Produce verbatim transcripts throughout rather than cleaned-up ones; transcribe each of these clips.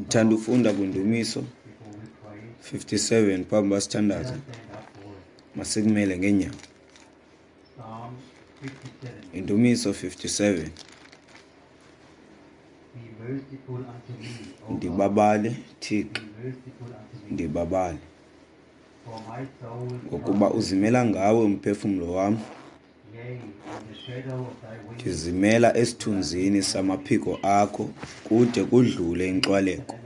Ndithanda ufunda kwiNdumiso fifty-seven phambi uba sithandaze. Masikumele ngeenyawo. Indumiso fifty-seven. Ndibabale, Thixo, ndibabale, ngokuba uzimela ngawe umphefumlo wam. Ndizimela esithunzini samaphiko akho kude kudlule inkxwaleko.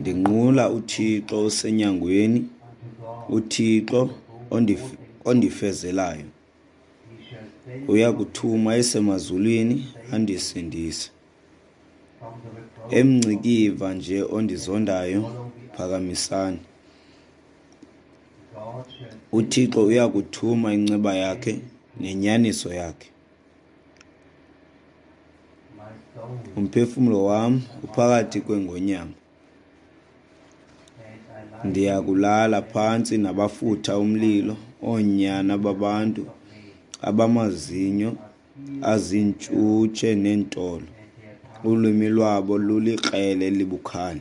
Ndinqula uThixo osenyangweni, uThixo ondifezelayo. Uyakuthuma esemazulwini andisindise. Emngcikiva nje ondizondayo, phakamisani. UThixo uyakuthuma inceba yakhe nenyaniso yakhe. Umphefumlo wam uphakathi kwengonyama. Ndiyakulala phantsi nabafutha umlilo, oonyana babantu abamazinyo aziintshutshe neentolo. Ulwimi lwabo lulikrele elibukhali.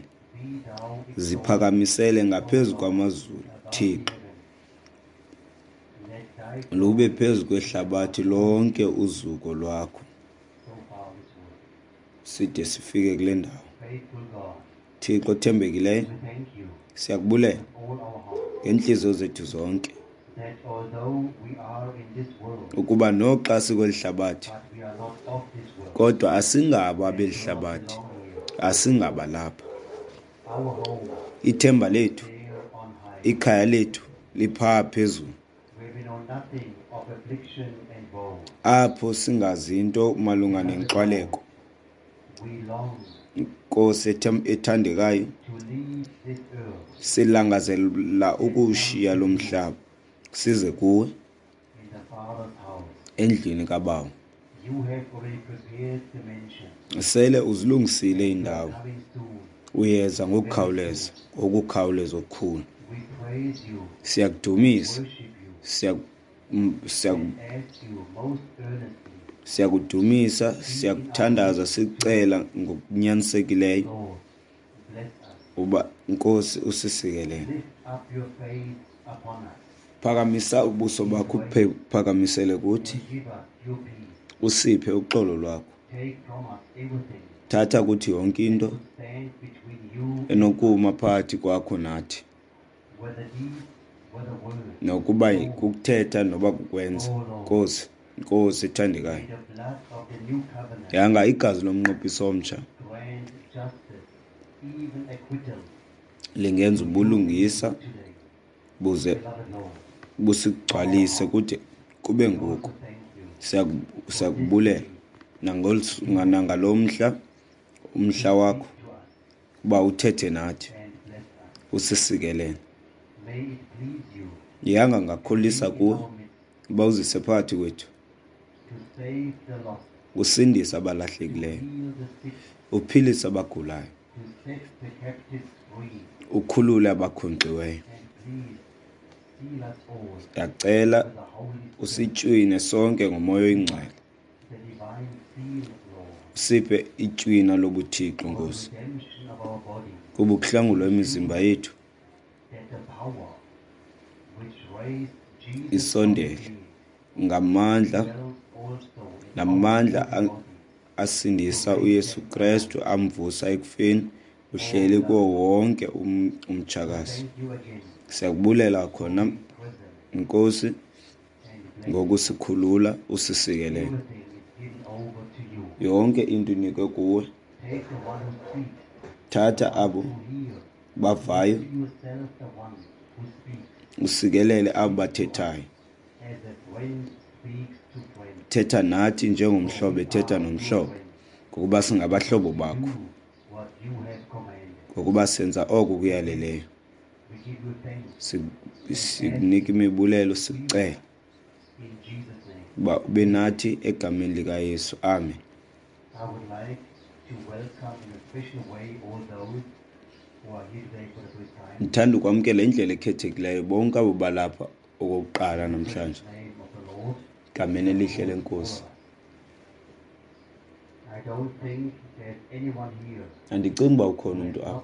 Ziphakamisele ngaphezu kwamazulu, Thixo, lube phezu kwehlabathi lonke uzuko lwakho. Side sifike kule ndawo. Thixo othembekileyo, siyakubulela ngeentliziyo zethu zonke, ukuba noxa sikweli hlabathi, kodwa asingabo abeli hlabathi, asingaba lapha. Ithemba lethu, ikhaya lethu liphaa phezulu, apho singazi nto malunga nenkxwaleko. Nkosi ethandekayo, silangazelela ukuwushiya lo mhlaba size kuwe endlini kaBawo. Sele uzilungisile iindawo, uyeza ngokukhawuleza, ngokukhawuleza okukhulu. Siyakudumisa, siyakudumisa, siyakuthandaza, sikucela ngokunyanisekileyo uba Nkosi usisikelele. Phakamisa ubuso bakho, phakamisele kuthi, usiphe uxolo lwakho. Thatha kuthi yonke into enokuma phakathi kwakho nathi, nokuba kukuthetha noba kukwenza. Nkosi, Nkosi ethandekayo, yanga igazi lomnqophiso omtsha lingenza ubulungisa buze busigcwalise kude kube ngoku. Siyakubulela nangalo mhla, umhla wakho, uba uthethe nathi, usisikelele. Yanga ngakholisa kuwe uba uzise phakathi kwethu, usindise abalahlekileyo, uphilise abagulayo, ukhulule abakhonkxiweyo. Ndiyacela usitywine sonke ngoMoya oyiNgcwele, usiphe itywina lobuThixo, Nkosi, kuba ukuhlangulwa imizimba yethu isondele ngamandla namandla asindisa uYesu Kristu amvusa ekufeni, uhleli kuwo wonke umtshakazi. Siyakubulela khona, Nkosi, ngokusikhulula usisikelele. Yonke into inikwe kuwe. Thatha abo bavayo, usikelele abo bathethayo. Thetha nathi njengomhlobo ethetha nomhlobo, ngokuba singabahlobo bakho, ngokuba senza oko kuyaleleyo. Sikunika imibulelo, sikucela uba ube nathi egameni likaYesu. Amen. Ndithanda ukwamkela indlela ekhethekileyo bonke abo balapha okokuqala namhlanje. Gameni elihle leNkosi. Andicingi uba ukhona umntu apha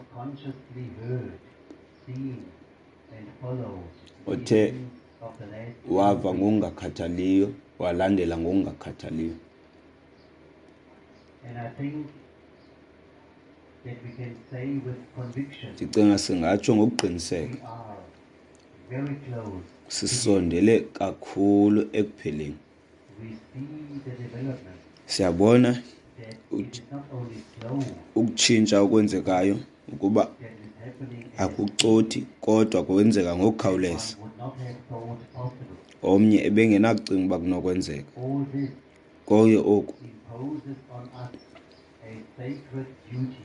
othe wava ngokungakhathaliyo, walandela ngokungakhathaliyo. Ndicinga singatsho ngokuqiniseka sisondele kakhulu ekupheleni. Siyabona ukutshintsha okwenzekayo ukuba akucothi kodwa kwenzeka ngokukhawuleza. Omnye ebengenakucinga uba kunokwenzeka. Konke oku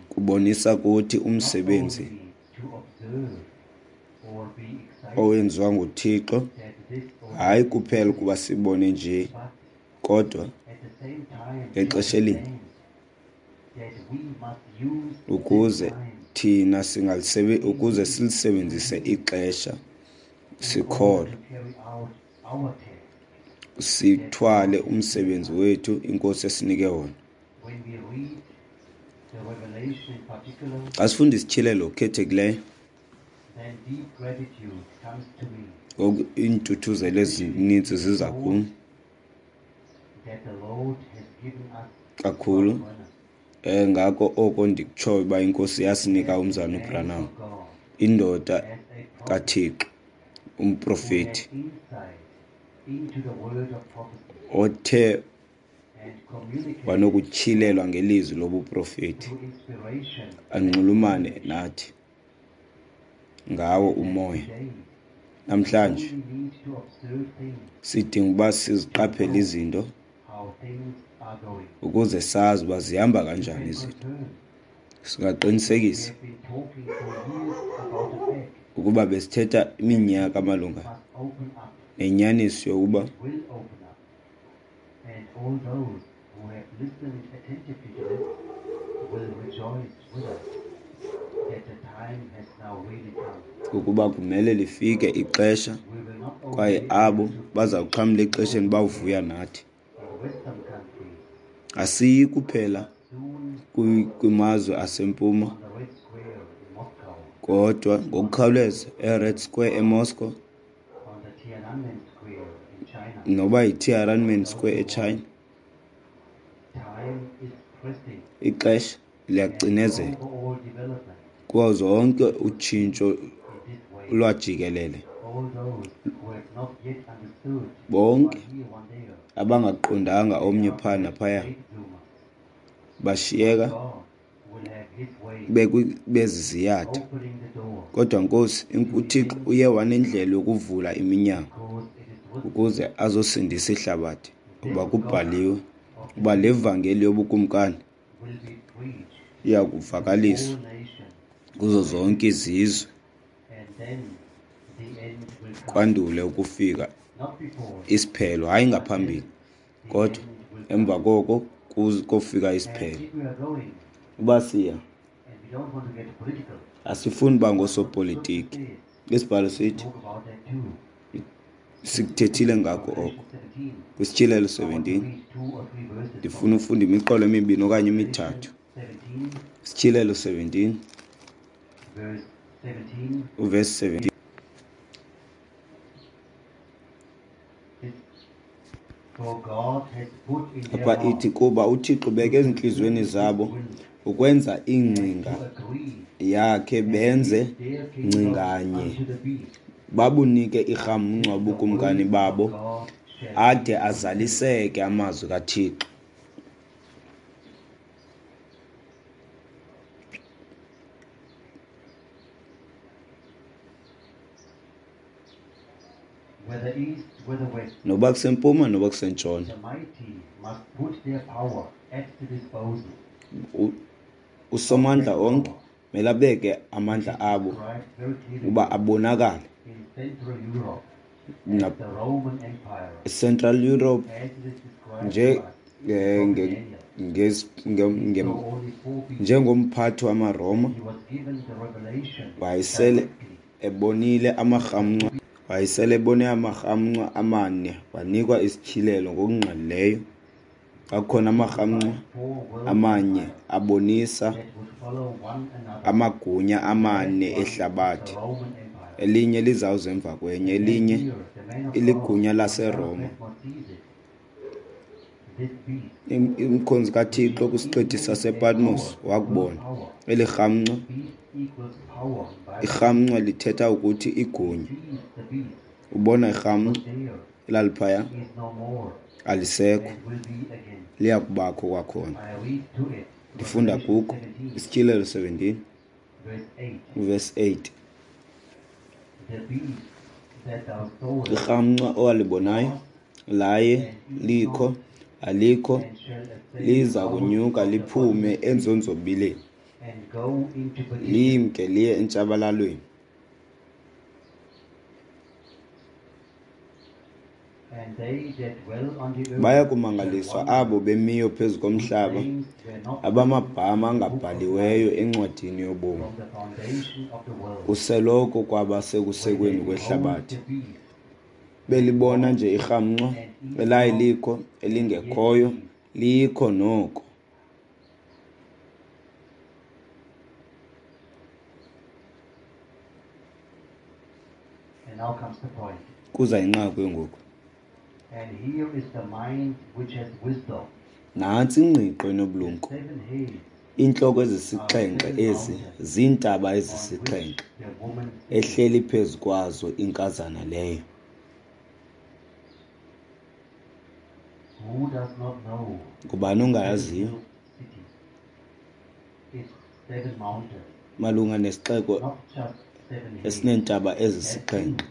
kubonisa kuthi umsebenzi owenziwa nguThixo, hayi kuphela ukuba sibone nje, kodwa ngexesha elinye ukuze thina singalisebe ukuze silisebenzise ixesha sikholwa, sithwale umsebenzi wethu iNkosi esinike wona. Xa sifunda isityhilelo okhethekileyo, ngoku iintuthuzelo ezininzi ziza kum kakhulu. Eh ngako oko ndikutshoyo uba iNkosi yasinika umzalwana uBranham, indoda kaThixo, umprofeti othe wanokutyhilelwa ngelizwi lobuprofeti, anxulumane nathi ngawo umoya. Namhlanje sidinga uba siziqaphele izinto ukuze sazi uba zihamba kanjani izinto. Singaqinisekisa ukuba besithetha iminyaka malunga nenyaniso yokuba ukuba kumele lifike ixesha kwaye abo bazawuxhamla exesheni bawuvuya nathi. Asiyi kuphela kwimazwe asempuma, kodwa ngokukhawuleza eRed Square eMoscow, noba yiTiananmen Square eChina. Ixesha liyacinezela kuwo zonke utshintsho lwajikelele. Bonke abangaqondanga omnye phaa naphaya bashiyeka beziziyatha. Kodwa Nkosi, uThixo uye wanendlela yokuvula iminyango ukuze azosindisa ihlabathi, kuba kubhaliwe uba le vangeli yobukumkani iya kuvakaliswa kuzo zonke izizwe, kwandule ukufika isiphelo. Hayi ngaphambili, kodwa emva koko kofika isiphelo. Uba siya, asifuni uba ngoosopolitiki. Isibhalo sithi sikuthethile ngako oko kwisityhilelo seventeen. Ndifuna ufunda imiqolo emibini okanye emithathu. Isityhilelo seventeen uvesi seventeen. Apha ithi, kuba uThixo ubeke ezintliziyweni zabo ukwenza ingcinga yakhe, benze ngcinganye, babunike irhamncwa ubukumkani babo, ade azaliseke amazwi kaThixo. Noba kusempuma noba kusentshona, uSomandla onke mele abeke amandla abo uba abonakale. Central Europe nje njengomphathi wamaRoma wayesele ebonile amarhamncwa, wayesele ebone amarhamncwa amane, wanikwa isityhilelo ngokungqalileyo Kwakhona amarhamncwa amanye abonisa amagunya amane ehlabathi, elinye lizawuza emva kwenye, elinye iligunya laseRoma. Umkhonzi kaThixo kwisiqithi sasePatmos wakubona eli rhamncwa. Irhamncwa lithetha ukuthi igunya. Ubona irhamncwa elaliphaya, alisekho, liya kubakho kwakhona. Ndifunda kuko Isityhilelo seventeen verse eight. Irhamncwa owalibonayo laye likho, alikho, liza kunyuka liphume enzonzobileni, limke liye entshabalalweni. Baya kumangaliswa abo bemiyo phezu komhlaba, abamagama angabhaliweyo encwadini yobomi kuseloko kwaba sekusekweni kwehlabathi. Belibona nje irhamncwa elaye likho, elingekhoyo, likho noko. Kuza inqaku ngoku. Nantsi ingqiqo enobulumko. Iintloko ezisixhenxe ezi ziintaba ezisixhenxe ehleli phezu kwazo inkazana leyo. Ngubani ongayaziyo malunga nesixeko esineentaba ezisixhenxe?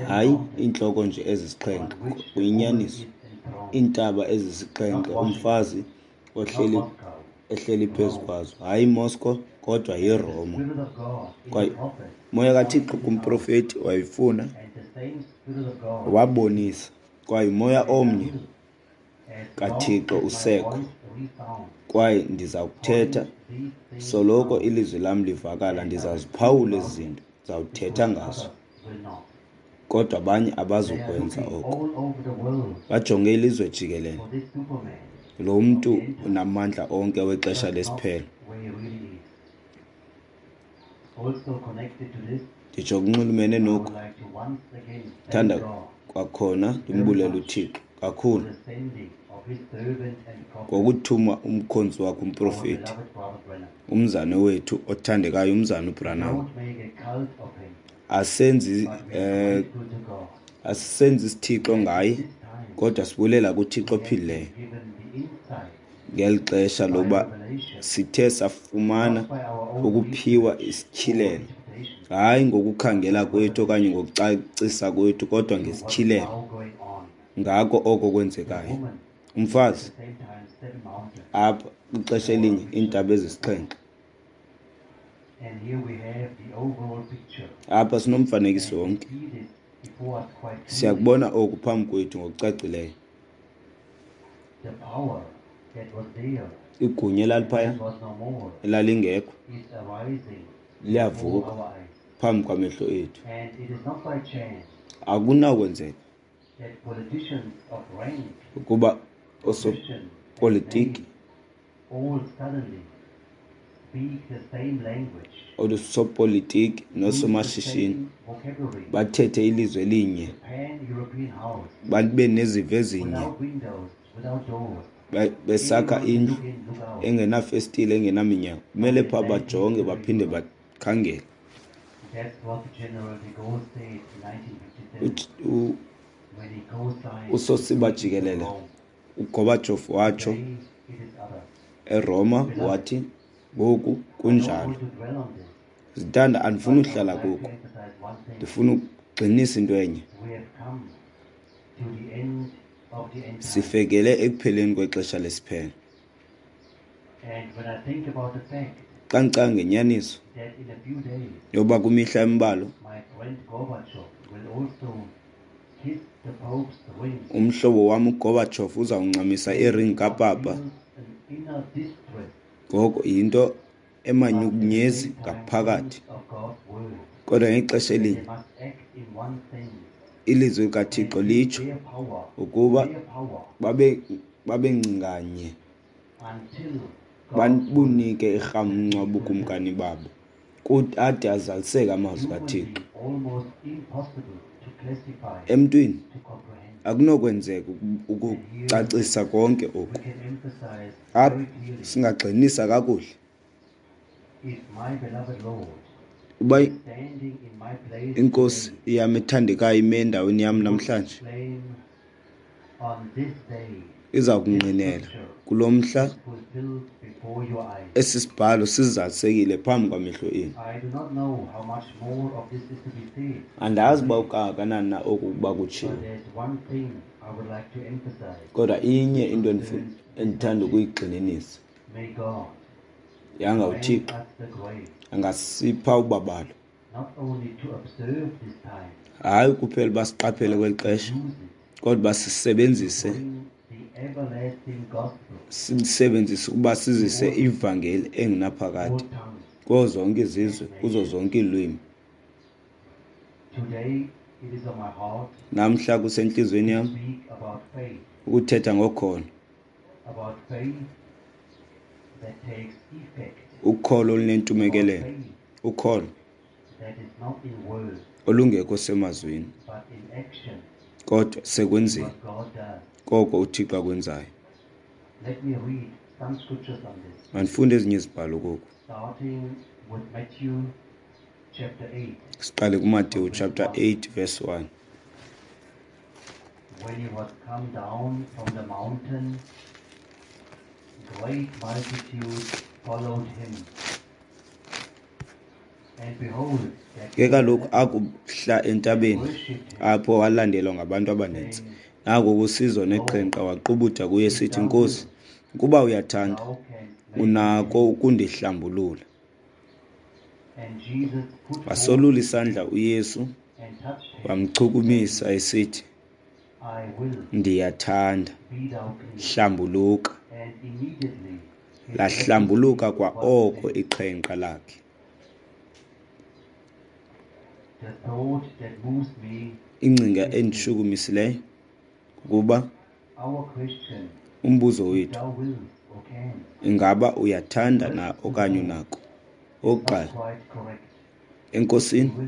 Hayi, iintloko nje ezisixhenxe, kuyinyaniso. Iintaba ezisixhenxe umfazi ohleli ehleli phezu kwazo. Hayi Moscow, kodwa yiRoma. Kwaye moya kaThixo kumprofeti wayifuna, wabonisa. Kwaye moya omnye kaThixo usekho. Kwaye ndiza kuthetha soloko ilizwi lam livakala, ndizaziphawula ezi zinto, ndizawuthetha ngazo. Kodwa abanye abazukwenza oko. Bajonge ilizwe jikelele. Lo mntu unamandla onke wexesha lesiphelo. Nditsho kunxulumene noku. Thanda kwakhona ndimbulele uThixo kakhulu ngokuthuma umkhonzi wakhe umprofeti, umzane wethu othandekayo, umzane uBranham. Asenzi eh asisenzi isithixo ngaye, kodwa sibulela kuThixo ophilileyo ngeli xesha loba sithe safumana ukuphiwa isityhilelo, hayi ngokukhangela kwethu okanye ngokucacisa kwethu, kodwa ngesityhilelo ngako oko kwenzekayo. Umfazi apha kwixesha elinye iintaba ezisixhenxe. Apha sinomfanekiso wonke. Siyakubona oku phambi kwethu ngokucacileyo. Igunya elaliphaya elalingekho liyavuka phambi kwamehlo ethu. Akunakwenzeka ukuba osopolitiki osopolitiki nosomashishini bathethe ilizwi elinye, babe nezivo ezinye, besakha indlu engenafestile, engenaminyango. Kumele phaa bajonge baphinde bakhangele. Usosiba jikelele uGorbachev watsho eRoma, wathi ngoku kunjalo. Zintanda, andifuni uhlala kuko, ndifuna ukugxinisa into enye. Sifekele ekupheleni kwexesha lesiphelo. Xa ndicinga ngenyaniso yoba kwimihla embalwa umhlobo wam uGorbachev uzawuncamisa iringi kaPapa, ngoko yinto emanyukunyezi ngaphakathi. Kodwa ngexesha elinye ilizwi likaThixo litsho ukuba babe Babengcinganye until God's word bunike irhamncwa ubukumkani babo, ade azaliseke amazwi kaThixo. Humanly almost impossible to classify, Emntwini to comprehend. akunokwenzeka And here ukucacisa konke we oku. can emphasize Apha very clearly, singagxininisa kakuhle if my beloved Lord uba is standing in my place inkosi today, yam ethandekayo ime endaweni yam he would namhlanje, exclaim, on this day, iza this kungqinela scripture kulo mhla is fulfilled before your eyes. esi sibhalo sizalisekile phambi kwamehlo enu. I do not know how much more of this is to be said, Andazi uba kukangakanani na oku ukuba kutshiwo, but there's one thing I would like to emphasize. kodwa inye into endifu-, endithanda ukuyigxininisa. May God Yanga grant uThixo us the grace angasipha ubabalo, not only to observe this time, hayi kuphela uba siqaphele kweli xesha, use it kodwa uba sisebenzise, bring the everlasting gospel sisebenzise ukuba sizise ivangeli engunaphakade all tongues. kuzo zonke izizwe, kuzo zonke iilwimi. Today it is on my heart Namhla kusentliziyweni to yam speak about faith, ukuthetha ngokholo, about faith that takes effect, ukholo about olunentumekelelo, faith ukholo that is not in words olungekho semazwini, but in action, kodwa sekwenzeni what God does. koko uThixo akwenzayo. Let me read some scriptures on this, Mandifunde ezinye izibhalo koku. starting with Matthew chapter eight. Siqale kuMateyu chapter eight verse one. When he was come down from the mountain, great multitudes followed him. And behold, there Ke came kaloku a leper akuhla and entabeni, worshipped him, apho walandelwa ngabantu abaninzi. saying, Nako kusizo Lord, neqhenqa waqubuda kuye if esithi, thou Nkosi, wilt, ukuba uyathanda, thou canst make me unako clean. ukundihlambulula. And Jesus put forth Wasolula his isandla hand uYesu, and touched him, wamchukumisa saying, esithi, I will, Ndiyathanda, be thou clean. hlambuluka. And immediately his Lahlambuluka leprosy kwa was oko cleansed. iqhenqa lakhe. The thought that moves me Ingcinga is this. endishukumisileyo kukuba Our question, umbuzo if wethu, thou wilt or canst, ingaba uyathanda na first to okanye Lord, unako? is not Okokuqala, quite correct. He enkosini will,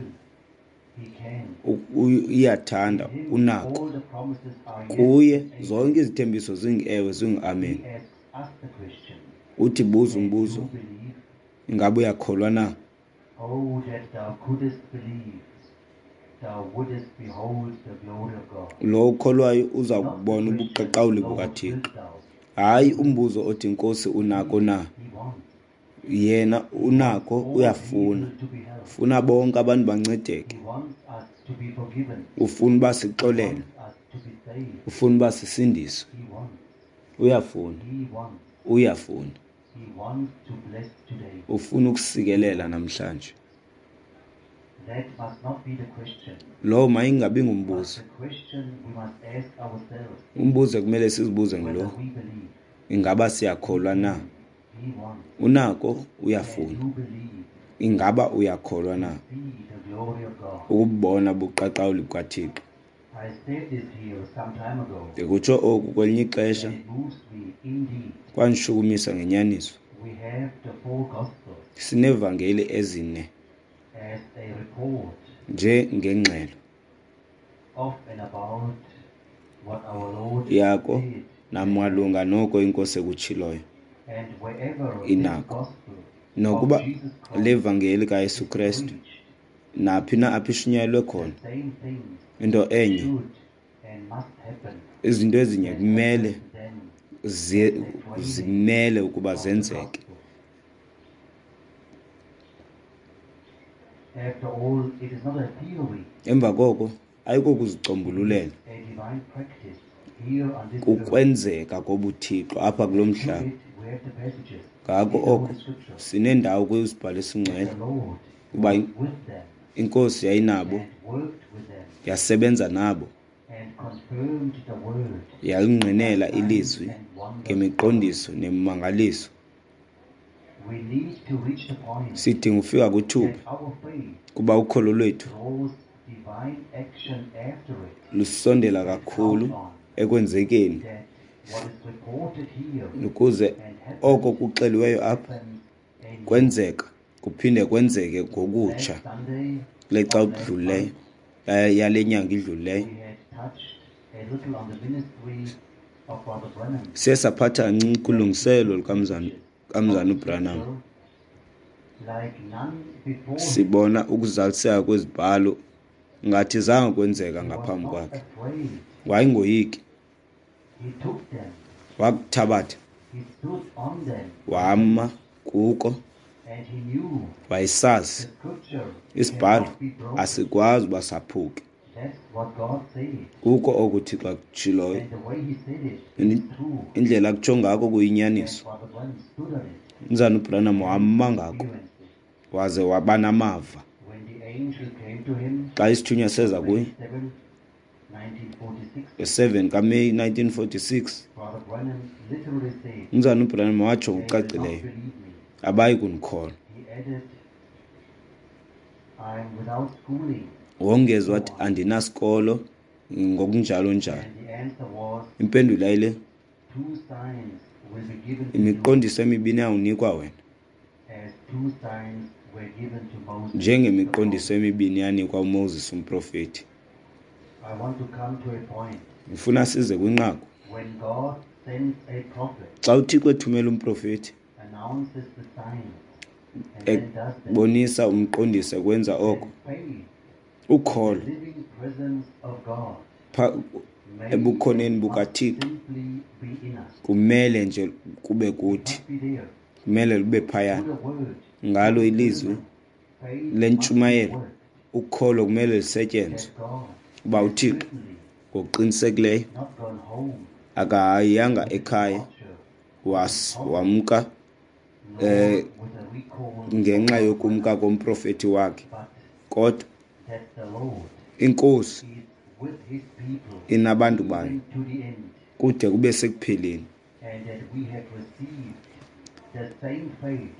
he can. u-, u-, iyathanda, In him unako. all the promises are yes Kuye and amen. zonke izithembiso zingu-ewe, zingu-amen. He asks us the question, Uthi buza can umbuzo, you believe? ingaba uyakholwa na? Oh, that thou couldest believe, thou wouldest behold the glory of God. Lo ukholwayo uza Not the kubona question, ubuqaqawuli Lord, bukaThixo. wilt thou? Hayi umbuzo othi Nkosi unako na? He wants. Yena He wants unako, all uyafuna. people to be helped. Ufuna bonke abantu bancedeke. He wants us to be forgiven. Ufuna uba He sixolelwe. wants us to be saved. Ufuna uba sisindiswe. He wants. Uyafuna. He wants. Uyafuna. He wants to bless today. Ufuna ukusikelela namhlanje. That must not be the question. Lo mayingabi But ngumbuzo. the question we must ask ourselves Umbuzo ekumele sizibuze whether ngulo, we believe. ingaba siyakholwa na? He wants. Unako, uyafuna. Can you believe? Ingaba uyakholwa na? See the glory of God. Ukubona ubuqaqawuli bukaThixo. I said this here some time ago. Ndikutsho oku kwelinye ixesha, And it moves me indeed. kwanishukumisa ngenyaniso. We have the four gospels Sineevangeli ezine as a report njengengxelo of and about what our Lord yako did. namalunga noko inkosi ekutshiloyo. And wherever this Inako. gospel Nokuba of Jesus Christ le vangeli kaYesu is Krestu preached, naphi na apho ishunyayelwe khona, the same things into enye, should and must happen izinto ezinye that kumele happened then zi-, at the training zimele ukuba of the zenzeke. gospel. After all, it is not a theory. Emva koko ayikokuzicombululela, A divine practice here on this earth. kukwenzeka kobuthixo apha kulo To mhlaba. it, we have the passages Ngako in the oko Holy Scripture sinendawo kwizibhalo esingcwele that the Lord kuba was with them inkosi yayinabo, and worked with them yasebenza nabo, and confirmed the word yalingqinela by signs ilizwi and wonders. ngemiqondiso nemimangaliso. We need to reach the point Sidinga ufika kwithuba that our faith kuba ukholo lwethu draws divine action after it lusondela and kakhulu count on ekwenzekeni that Ukuze oko kuxeliweyo apha kwenzeka kuphinde kwenzeke ngokutsha kule xa kudlulileyo yale nyanga idlulileyo. Siye saphatha kancinci kulungiselelo lukamzana kamzana uBranham. Sibona ukuzaliseka kwezibhalo ngathi zange kwenzeka ngaphambi kwakhe. Wayengoyiki. Wakuthabatha wama kuko, wayesazi isibhalo asikwazi uba saphuke. Kuko oku uThixo akutshiloyo, indlela akutsho ngako kuyinyaniso. Umzana uBranham wama ngako waze waba namava. Xa isithunywa seza kuye nge-seven kaMeyi nineteen forty-six, umzana uBranham watsho ngokucacileyo, abayi kundikholwa. Wongeza wathi andinasikolo ngokunjalo njalo. Impendulo yayile, imiqondiso emibini yawunikwa wena, njengemiqondiso emibini yanikwa uMoses umprofeti. Ngifuna size kwinqaku. Xa uThixo ethumela umprofeti, ebonisa umqondiso kwenza oko, ukholo ebukhoneni bukaThixo kumele nje kube kuthi, kumele lube phaya ngalo ilizwi lentshumayelo. Ukholo kumele lisetyenzwe uba uThixo ngokuqinisekileyo akahayanga ekhaya wamka eh ngenxa yokumka komprofeti wakhe, kodwa inkosi inabantu bayo kude kube sekupheleni.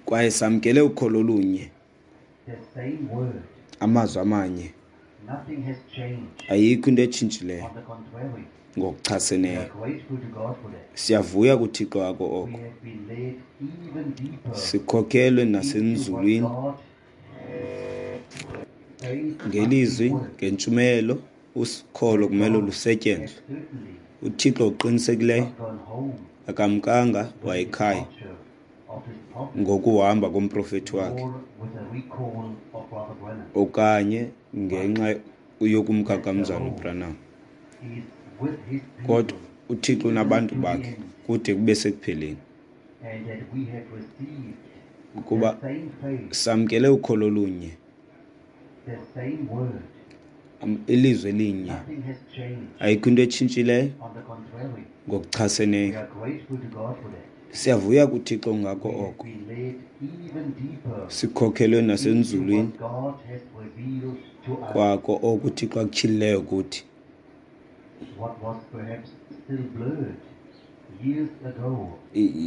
Kwaye samkele ukholo olunye, amazwi amanye. Ayikho into etshintshileyo ngokuchaseneyo. Siyavuya kuThixo wako oko. Sikhokhelwe nasenzulwini ngelizwi, ngentshumayelo. Ukholo kumele lusetyenzwe. uThixo oqinisekileyo akamkanga wayekhaya ngokuhamba komprofeti wakhe okanye ngenxa yokumka kamzana uBranham, kodwa uThixo unabantu bakhe kude kube sekupheleni. Ukuba samkele ukholo olunye, ilizwi elinye, ayikho into etshintshileyo ngokuchaseneyo. Siyavuya kuThixo ngako oko. Sikhokhelwe nasenzulwini kwako oku uThixo akutyhilileyo kuthi.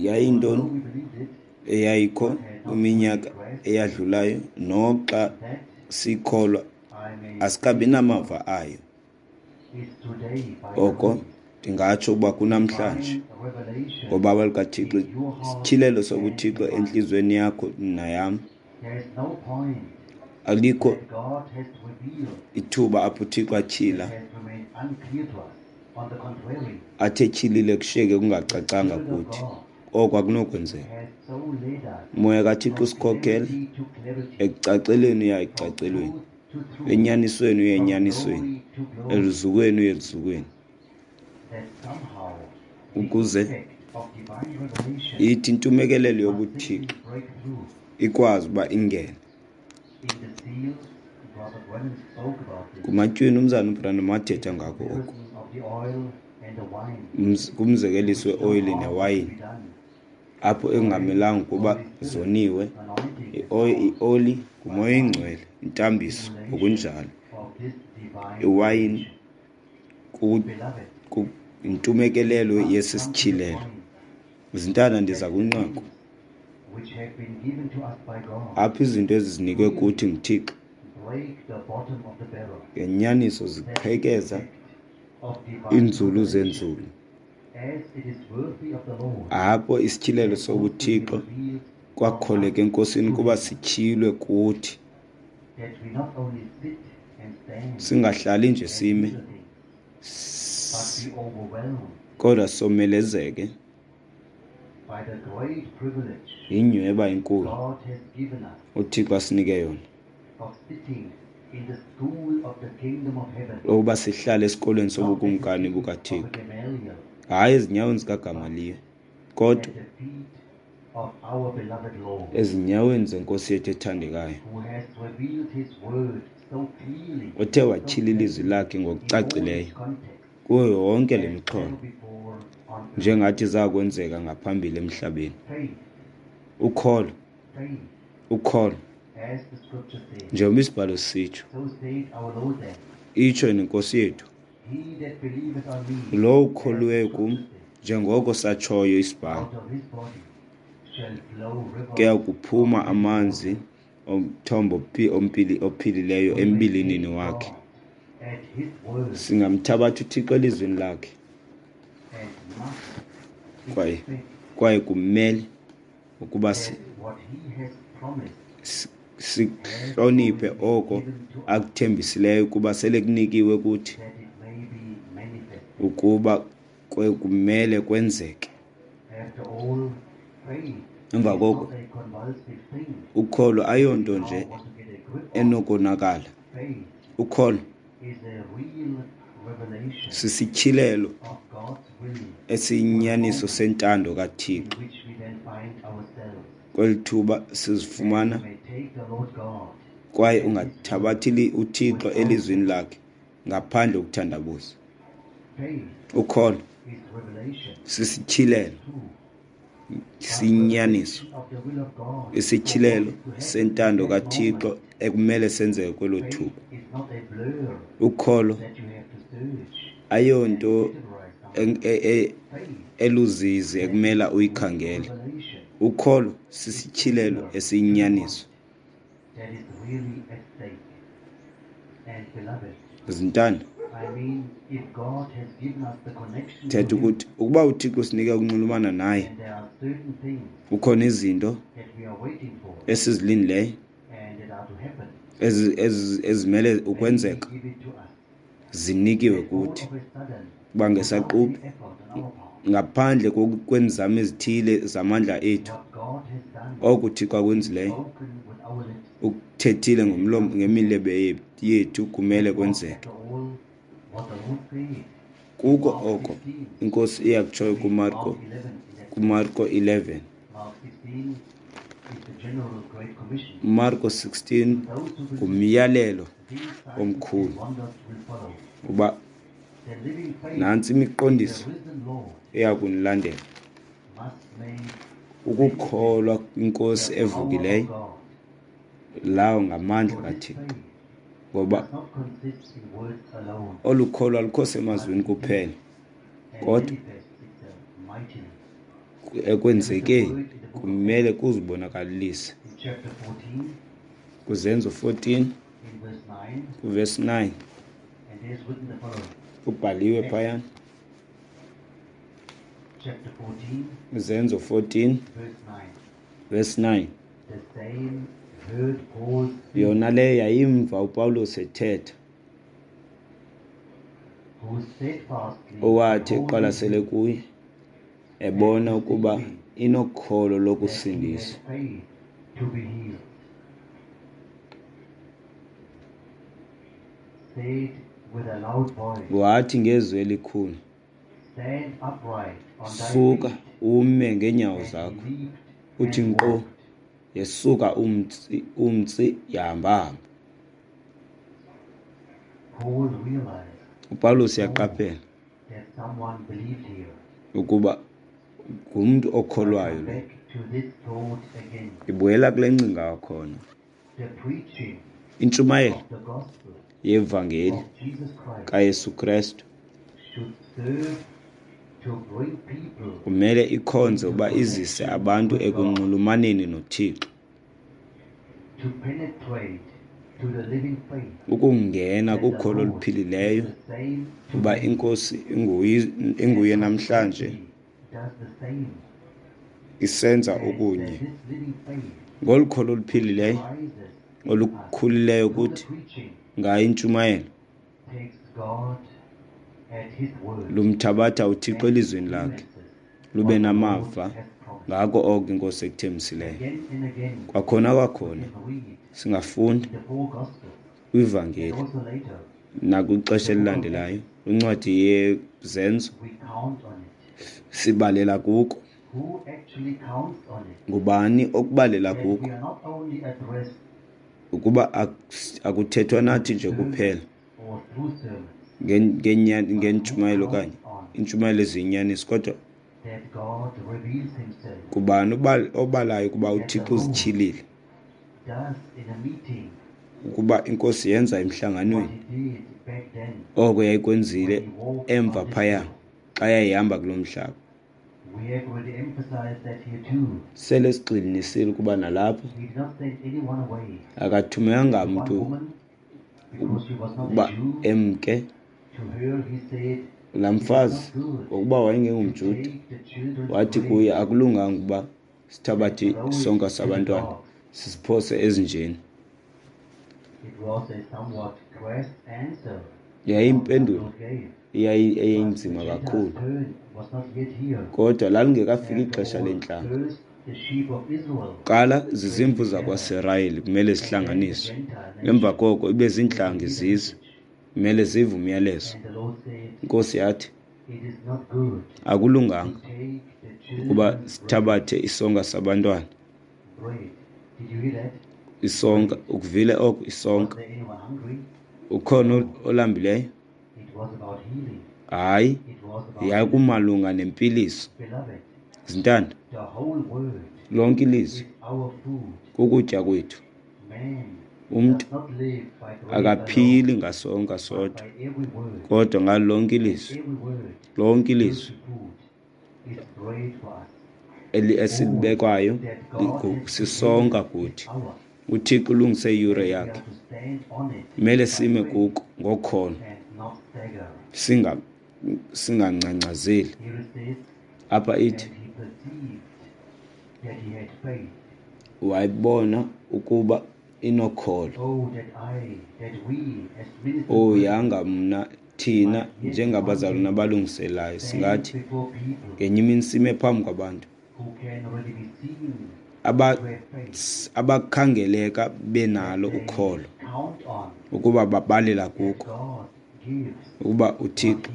Yayintoni eyayikho kwiminyaka eyadlulayo, noxa sikholwa asikabi namava ayo. Oko ndingatsho ukuba kunamhlanje ngobaba lukaThixo, isityhilelo sobuThixo entliziyweni yakho nayam. Alikho ithuba apho uThixo atyhila athe etyhilile kushiyeke kungacacanga kuthi. Oko akunokwenzeka. Umoya kaThixo usikhokhele ekucaceleni uya ekucacelweni, enyanisweni uya enyanisweni, eluzukweni uya eluzukweni, ukuze ithi intumekelelo yobuThixo ikwazi uba ingene. Kumatywini umzana uBranham wathetha ngako oko, kumzekeliso weoyili newayini, apho engamelanga ukuba zoniwe. Ioli ngumoya oyingcwele, intambiso ngokunjalo, iwayini yintumekelelo yesi sityhilelo. Zintana, ndiza kwinqaku apho izinto ezizinikwe kuthi nguThixo ngenyaniso ziqhekeza iinzulu zenzulu. Apho isityhilelo sobuThixo kwakholeka eNkosini kuba sityhilwe kuthi. Singahlali nje sime, kodwa somelezeke yinyhweba enkulu uThixo asinike yona ukuba sihlale esikolweni sobukumkani bukaThixo, hayi ezinyaweni zikaGamaliyo, kodwa ezinyaweni zeNkosi yethu ethandekayo, othe watyhila ilizwi lakhe ngokucacileyo kuyo yonke le mixholo, njengathi zakwenzeka ngaphambili emhlabeni. Ukholo, ukholo, njengoba isibhalo sisitsho, itsho nenkosi yethu, lowo ukholiweyo kum, njengoko satshoyo isibhalo, kuya kuphuma amanzi omthombo ophilileyo embilinini wakhe. Singamthabatha uThixo elizwini lakhe, kwaye kwaye kumele ukuba sihloniphe oko akuthembisileyo ukuba sele kunikiwe kuthi, ukuba kumele kwenzeke. Emva koko ukholo ayonto nje enokonakala. Ukholo sisityhilelo esiyinyaniso sentando kaThixo. Kweli thuba sizifumana, kwaye ungathabathi uThixo elizwini lakhe ngaphandle kokuthandabuza. Ukholo sisityhilelo siyinyaniso, isityhilelo sentando kaThixo ekumele senzeke kwelo thuba. Ukholo ayonto eluzizi ekumele uyikhangele. Ukholo sisityhilelo esiyinyaniso. Zintanda, thetha ukuthi ukuba uThixo usinike ukunxulumana naye, kukhona izinto esizilindileyo ezimele ukwenzeka, zinikiwe kuthi kuba ngesaquphe, ngaphandle kweenzame ezithile zamandla ethu, oko uThixo akwenzileyo ukuthethile ngomlomo ngemilebe yethu kumele kwenzeke. Kuko oko iNkosi iyakutshoyo kuMarko, kuMarko eleven. Marko sixteen ngumyalelo omkhulu uba nantsi imiqondiso eyakunilandela. Ukukholwa kwinkosi evukileyo, lawo ngamandla kaThixo, ngoba olu kholo alukho semazwini kuphela, kodwa ekwenzekeni kumele kuzibonakalise. Kuzenzo fourteen kuverse nine kubhaliwe phayana. Izenzo fourteen verse nine. Yona le yayimva uPawulos ethetha, owathi eqwalasele kuye, ebona ukuba inokholo lokusindiswa. Wathi ngezwi elikhulu, suka ume ngeenyawo zakho. Uthi nkqo, yesuka umtsi, umtsi yahamba-hamba. uPawulos uyaqaphela ukuba ngumntu okholwayo lo. Ibuyela kule ngcinga kwakhona. Intshumayelo yevangeli kaYesu Krestu kumele ikhonze uba izise abantu ekunxulumaneni noThixo, Ukungena kukholo oluphilileyo uba inkosi inguye namhlanje isenza okunye. Ngolu kholo oluphilileyo olukhulileyo kuthi ngayo intshumayelo lumthabatha uThixo elizweni lakhe lube namava ngako oko inkosi ekuthembisileyo. Kwakhona kwakhona singafunda kwivangeli nakwixesha elilandelayo kwincwadi yeZenzo sibalela kuko. Ngubani okubalela kuko? Ukuba akuthethwa nathi nje kuphela ngentshumayelo okanye intshumayelo eziyinyaniso, kodwa kubani obalayo ukuba uThixo uzityhilile, ukuba inkosi yenza emhlanganweni oko yayikwenzile emva phaya xa yayihamba kulo mhlaba. Sele sigxininisile ukuba nalapho akathumelanga mntu ukuba emke. Laa mfazi ngokuba wayengengomJuda wathi kuye akulunganga ukuba sithabathe isonka sabantwana sisiphose ezinjeni. Yayiyimpendulo eyayinzima kakhulu, kodwa lalingekafiki ixesha leentlanga. Kuqala zizimvu zakwaSirayeli kumele zihlanganiswe, emva koko ibe ziintlanga izizwe kumele zive umyalezo. Inkosi yathi akulunganga ukuba sithabathe isonka sabantwana. Isonka, ukuvile oko isonka. Ukhona olambileyo? Hayi, yakumalunga nempiliso. Zintanda, lonke ilizwi kukutya kwethu. Umntu akaphili ngasonka sodwa, kodwa ngalo lonke ilizwi, lonke ilizwi esilibekwayo sisonka kuthi. uThixo ulungise iyure yakhe, kumele sime kuko ngokholo, singa singangcangcazeli. Apha ithi wayibona ukuba inokholo. Oh, yanga mna thina njengabazalwana abalungiselayo singathi ngenye imini sime phambi kwabantu abakhangeleka benalo ukholo ukuba babalela kuko ukuba uThixo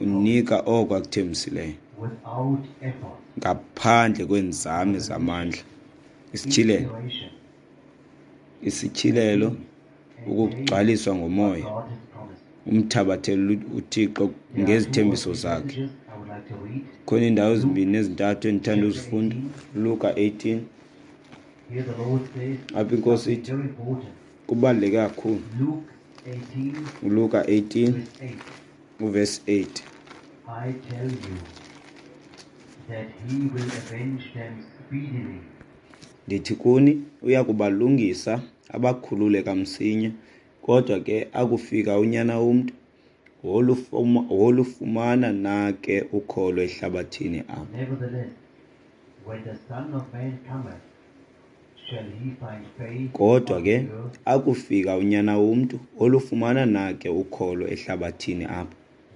unika oko akuthembisileyo ngaphandle kweenzame zamandla. Isityhilelo, isityhilelo, ukugcwaliswa ngomoya, umthabathele uThixo ngezithembiso zakhe. Khona iindawo ezimbini ezintathu endithanda uzifunda. Luka eighteen, apha inkosi ithi kubaluleke kakhulu. ULuka eighteen uvesi eight. I tell you that he will avenge them speedily. Ndithi kuni uya kubalungisa abakhulule kamsinya, kodwa ke akufika unyana womntu wolufumana na ke ukholo ehlabathini apha? Nevertheless, when the Son of Man cometh, shall he find faith Kodwa on ke the earth? akufika unyana womntu wolufumana na ke ukholo ehlabathini apha?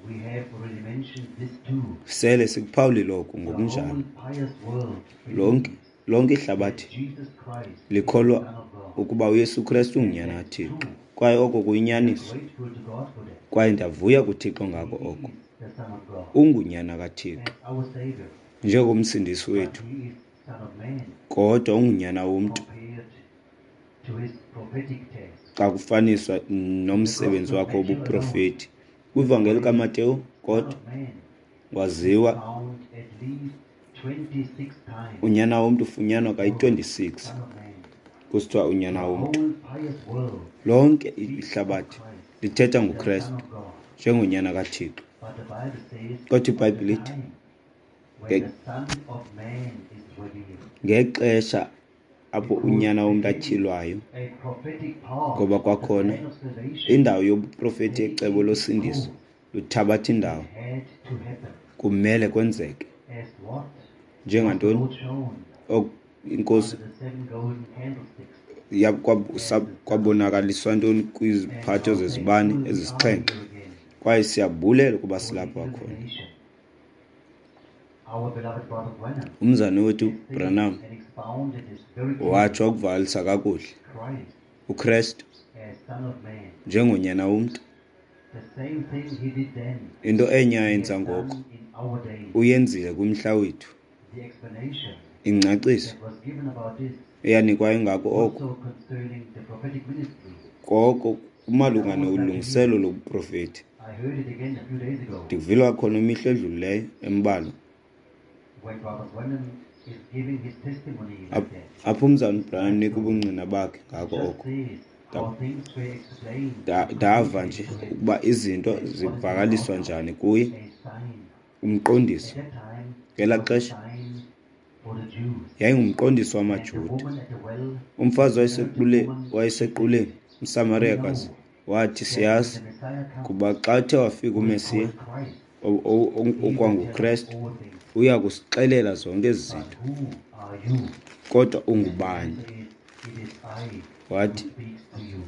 We have already mentioned this too. Sele sikuphawulile oku The ngokunjalo. whole pious world Lonke believes lonke that ihlabathi Jesus Christ is the likholwa Son of God. ukuba uYesu Kristu ungunyana kaThixo, kwaye oko kuyinyaniso, Grateful to God for that. kwaye ndiyavuya kuThixo ngako He oko. is the Son of God Ungunyana kaThixo as our Savior, njengomsindisi but wethu, he is Son of Man kodwa ungunyana womntu compared to his prophetic task. xa kufaniswa nomsebenzi wakhe wobuprofeti. Kwivangeli kaMateyu Son kodwa of Man waziwa found at least twenty-six times. unyana womntu ufunyanwa kayi-twenty-six Son of Man. kusithiwa unyana The womntu. whole pious world Lonke speaks of ihlabathi Christ, lithetha the ngoKristu Son of God. njengonyana kaThixo. But the Bible says Kodwa of the iBhayibhile ithi time when nge- the Son of Man is revealed. ngexesha apho Because uNyana womntu again, atyhilwayo, a prophetic part ngoba of the kwakhona plan of salvation indawo yobuprofeti taking yecebo its losindiso course, luthabatha it indawo, had to happen. kumele kwenzeke. As what was the Njengantoni? Lord shown Ok- Inkosi under the seven golden candlesticks ya- kwa- as sa- the Son of Man. kwabonakaliswa ntoni And kwiziphatho how zezibane thankful we are ezisixhenxe? here again Kwaye siyabulela ukuba for the silapha kwakhona. illumination. Our beloved brother Branham Umzane wethu has stated Branham and expounded this very clearly. watsho wakuvakalisa kakuhle Christ uKrestu as Son of Man. njengonyana womntu. The same thing he did then, Into enye he has ayenza ngoko done in our days. uyenzile kwimhla wethu. The explanation Ingcaciso that was given about this eyanikwayo ngako oko also concerning the prophetic ministry. koko kumalunga I would like to hear nolungiselelo it. lobuprofeti. I heard it again a few days ago Ndikuvile kwakhona imihla edlulileyo embalwa when Brother Branham is giving his testimony like Ap- that. apho umzalwana uBranham It's unika right so. ubungqina bakhe It ngako just oko. says Nda- how things were explained nda- and Ndava nje communicated to him ukuba izinto and what is all about zivakaliswa now. njani kuye, A sign. umqondiso. At that time, it Ngelaa was a xesha sign for the Jews. yayingumqondiso And the wamaJuda. woman at the well, Umfazi the Samaritan wayesequle woman, she said, wayesequleni, We umSamariyakazi, know wathi, that when siyazi the Messiah comes, kuba xa uthe wafika who is uMesiya called Christ, o- o- o- he will tell us okwanguKrestu, all things. uya kusixelela zonke ezi But zinto. who are you? Kodwa And the ungubani? answer is, It is I who Wathi, speaks to you.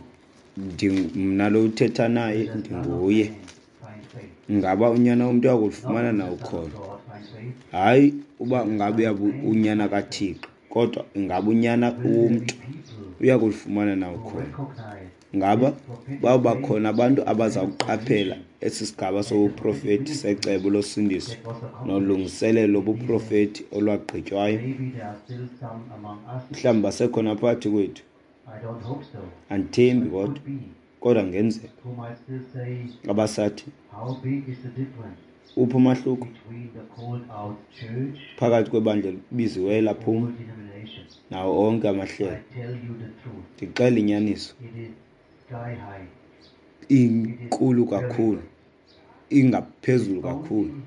Ndimna lo uthetha naye, Will the Son of ndinguye. Man find faith? Ngaba unyana womntu uya Not kulufumana will na the Son of ukholo? God find faith? Hayi uba Will the ngabe Son of uyabu Man unyana find faith? kaThixo, kodwa ingaba unyana Will there be womntu people uya kulufumana na who ukholo? recognize Ngaba this prophetic bawuba phase khona abantu of abaza plan of kuqaphela salvation esi sigaba and the prophetic sobuprofeti ministry secebo losindiso that was accomplished nolungiselelo in these days? lobuprofeti olwagqitywayo? Maybe there are still some among us. Mhlawumbi basekhona phakathi kwethu. I don't hope so, Andithembi but it kodwa, could be, kodwa kungenzeka who might still say, abasathi, How big is the difference uphi umahluko between the called out church phakathi kwebandla elibiziweyo and laphuma all denominations? nawo onke I amahlelo? tell you the truth, Ndixela inyaniso, it is sky high. It is inkulu very kakhulu, great. It is ingaphezulu kakhulu. only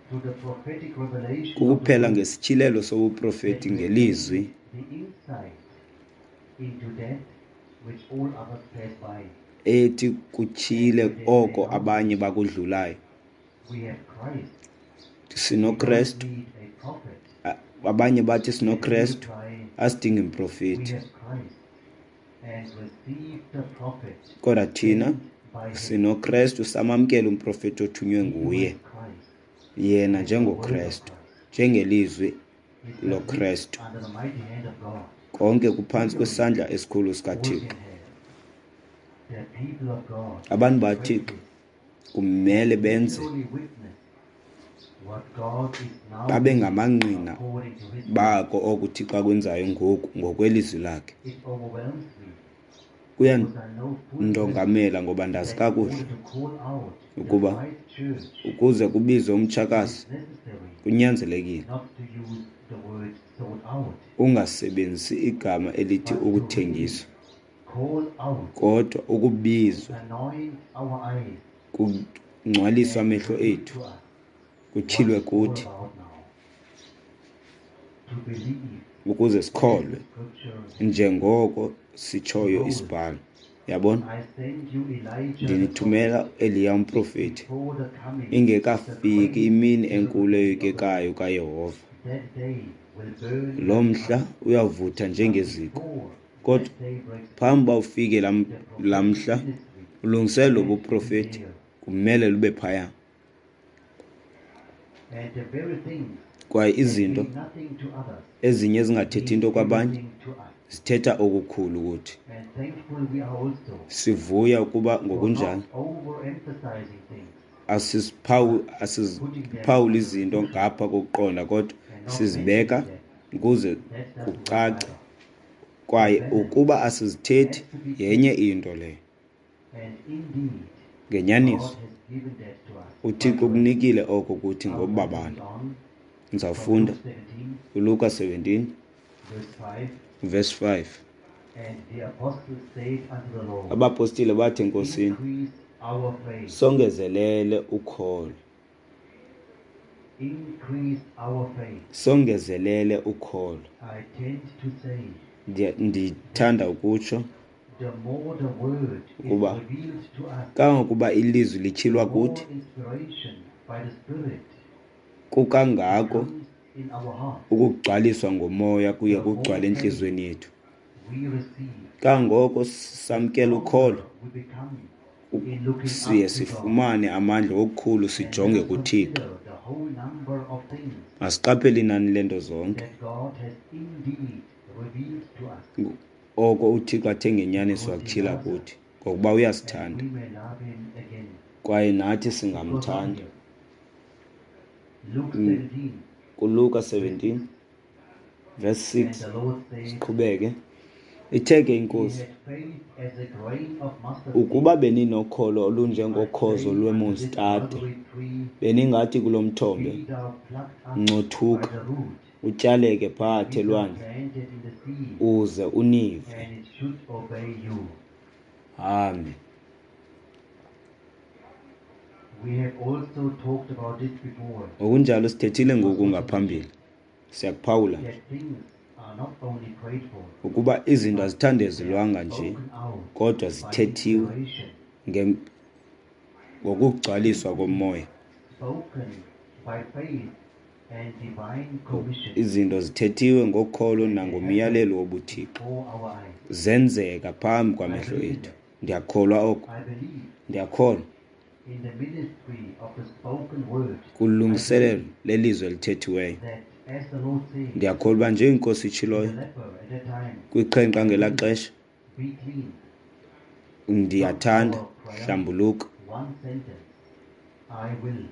through the prophetic revelation of the Kukuphela word ngesityhilelo that sobuprofeti we ngelizwi gain the insight into that which all others pass by. ethi And kutyhile when they say, oko How abanye bakudlulayo. we have Christ, we don't SinoKrestu, need a prophet. a- abanye bathi And we sinoKrestu, reply, asidingi We mprofeti. have Christ, and receive the prophet Kodwa thina sent by him. sinoKrestu, samamkela umprofeti othunywe He nguye, was Christ yena and the word of njengoKrestu, Christ. njengelizwi He submits loKrestu. under the mighty hand of God. Konke kuphantsi Legally, kwesandla esikhulu all sikaThixo. can have. The people of God Abantu must baThixo practice kumele and benze literally witness what God is now babe doing ngamangqina according to His word. bako oko uThixo akwenzayo ngoku ngokwelizwi lakhe. It overwhelms me because I know full well Kuyandongamela ngoba ndazi that in kakuhle order to call out the ukuba right church, ukuze kubizwe it umtshakazi is necessary kunyanzelekile not to use the word sold out, ungasebenzisi igama elithi but to really ukuthengiswa, call out, kodwa ukubizwa anoint our eyes, kungcwaliswe and amehlo reveal ethu, to us what kutyhilwe it's all kuthi about now. To believe ukuze as sikholwe the scripture has said. njengoko sitshoyo Behold, isibhalo. Yabona, I send you Elijah the ndinithumela prophet Eliya umprofeti before the coming of the ingekafiki great imini enkulu terrible day of the eyoyikekayo Lord. kaYehova. That day will burn Lo like mhla oven, uyavutha but njengeziko. before Kodwa that day breaks phambi forth, uba ufike laa the laa prophetic mhla, ministry ulungiselelo had to be lobuprofeti there, kumele lube phaya. and the very things Kwaye that izinto mean nothing to others ezinye ezingathethi mean nto kwabanye everything to us. zithetha okukhulu kuthi. And thankful we are also Sivuya ukuba for ngokunjalo not overemphasizing things, asiziphawu but putting them asiziphawuli under izinto scrutiny ngapha kokuqonda, kodwa and not sizibeka mentioning them. ukuze That doesn't work kucace. either. The Kwaye balance ukuba asizithethi has to be yenye kept, into leyo. and indeed, God Ngenyaniso has given that to us by uThixo grace. ukunikile oko kuthi I'm going to ngobabalo. read on from Ndizawufunda Luke seventeen, uLuka seventeen verse five. verse five. And the apostles said unto the Lord, Abapostile bathi eNkosini, Increase our faith. songezelele ukholo. Increase our faith. Songezelele ukholo. I tend to say Ndiya- Ndithanda ukutsho the more the word is Ukuba revealed to us, kangangokuba ilizwi lityhilwa the more kuthi, inspiration by the Spirit kukangako comes in our heart. ukugcwaliswa ngomoya kuye kugcwale entliziyweni yethu. We receive. Kangoko samkela ukholo, We become in looking up siye to God. sifumane amandla okukhulu And sijonge let us kuThixo. consider the whole number of things Masiqaphele inani leento zonke that God has indeed revealed to us, oko uThixo athe ngenyaniso wakutyhila kuthi, ngokuba and uyasithanda we may love Him again. kwaye nathi because of singamthanda. Him. Luke seventeen, KuLuka seventeen verse and six the Lord said, siqhubeke. Ithe ke He inkosi, had faith as a grain of mustard ukuba seed. beninokholo I olunjengokhozo say unto this lwemostade, mulberry tree, beningathi kulo mthombe, Be thou plucked up by ncothuka, the root, utyaleke phakathi be thou elwandle, planted in the sea, uze unive. and it should obey you. Amen. We have also talked about this before, Ngokunjalo sithethile ngoku ngaphambili, siyakuphawula nje that things are not only prayed for, ukuba izinto but they are azithandezelwanga nje, spoken out kodwa by zithethiwe inspiration, ngem- ngokugcwaliswa komoya. spoken by faith and divine commission Izinto zithethiwe ngokholo and they happen nangomyalelo wobuThixo, before our eyes. zenzeka phambi I kwamehlo believe in ethu. that. Ndiyakholwa oko, I believe ndiyakholwa in the ministry of the spoken word. I kulungiselelo believe lelizwi elithethiweyo. that as the Lord said Ndiyakholwa uba njengenkosi to the itshiloyo leper at that time, kwiqhenqa ngelaa xesha, be clean. Not ndiyathanda, our prayer, hlambuluka. one sentence, I will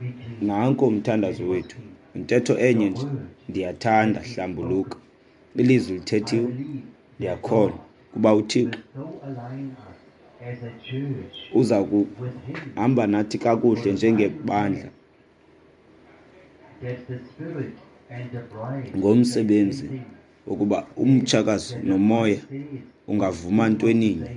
be clean. Nanko And umthandazo he was wethu, clean. intetho The enye nje, word ndiyathanda, has been hlambuluka. spoken. Ilizwi I lithethiwe, believe that ndiyakholwa God kuba will uThixo so align us as a church uza with Him kuhamba nathi for kakuhle the final njengebandla task, that the Spirit and the bride say the same ngomsebenzi thing, wokuba umtshakazi that the nomoya bride says what ungavuma he wants to ntweninye, say,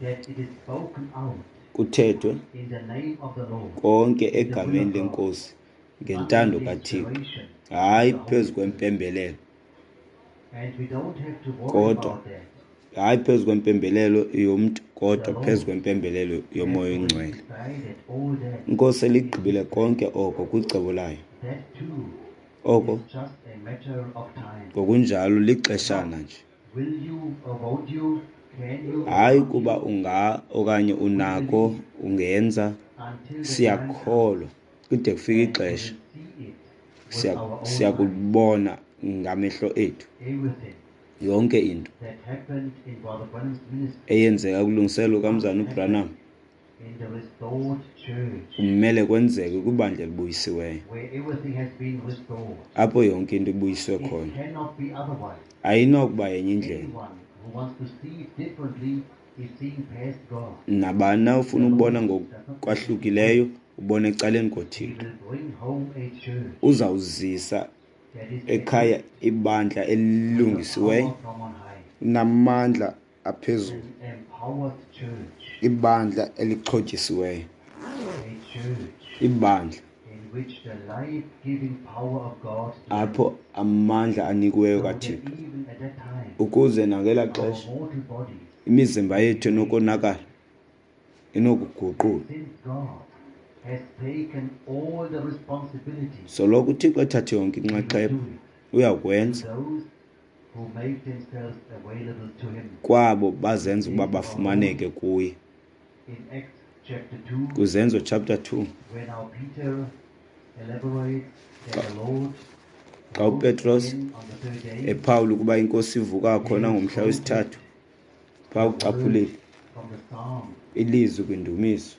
that it is spoken out kuthethwe in the name of the Lord, konke in the will egameni of God, lenkosi under ngentando the kaThixo, inspiration of hayi the Holy phezu Spirit. kwempembelelo, And we don't have to worry kodwa about that. hayi phezu kwempembelelo yomntu, The kodwa phezu Lord kwempembelelo has yomoya already oyingcwele. decided all that Inkosi in His eligqibile plan. konke oko kwicebo layo. That too Oko is just a matter of time. ngokunjalo lixeshana Not nje, will you or won't you, can you or hayi can't kuba you. unga okanye We unako believe ungenza. until the time comes Siyakholwa kude kufike and we ixesha will see it with siya our own eyes. siyakubona ngamehlo ethu Everything yonke into that happened in Brother Branham's ministry eyenzeka kulungiselelo must kamzana happen uBranham in the restored church kumele kwenzeke kwibandla elibuyisiweyo, where everything has been restored. apho yonke into ibuyiswe It khona. cannot be otherwise. Ayinokuba yenye indlela. Anyone who wants to see it differently is seeing past God. Nabani na The ufuna ukubona Lord does not take his ngokwahlukileyo ubona ecaleni He koThixo. will bring home a church Uzawuzisa that is ekhaya equipped ibandla with the elilungisiweyo power from on high, namandla aphezulu, an empowered church, ibandla elixhotyisiweyo, a church ibandla in which the life-giving power of God apho dwells, amandla anikiweyo so that kaThixo, even at that time ukuze nangelaa our xesha mortal bodies imizimba may be yethu made enokonakala perfect. inokuguqulwa. And since God has taken all the responsibility, Soloko uThixo ethathe yonke He will inxaxheba, do it to uyakwenza those who make themselves available to Him. kwabo bazenza In ukuba the days of our bafumaneke Lord, kuye. in Acts chapter two, Kwizenzo chapter two, when our Peter elaborates that xa the Lord xa rose uPetros again on the third day, ephawula ukuba inkosi ivuka khona he ngomhla quoted wesithathu, phaa the word ucaphulile from the Psalm, ilizwi kwindumiso,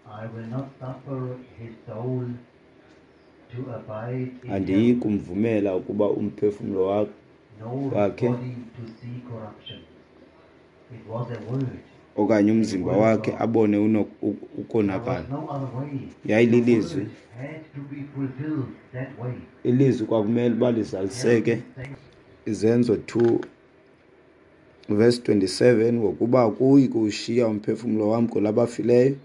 I will not suffer his soul to abide in andiyi hell, kumvumela ukuba umphefumlo wakhe nor his wakhe body to see corruption. It was a word, okanye a umzimba word of wakhe God. abone uno- u- There was ukonakala. no other way. The Yayililizwi, word had to be fulfilled that way. ilizwi kwakumele uba Hell lizaliseke. is saying, Izenzo two verse twenty-seven, ngokuba akuyi kuwushiya umphefumlo wam kwelabafileyo,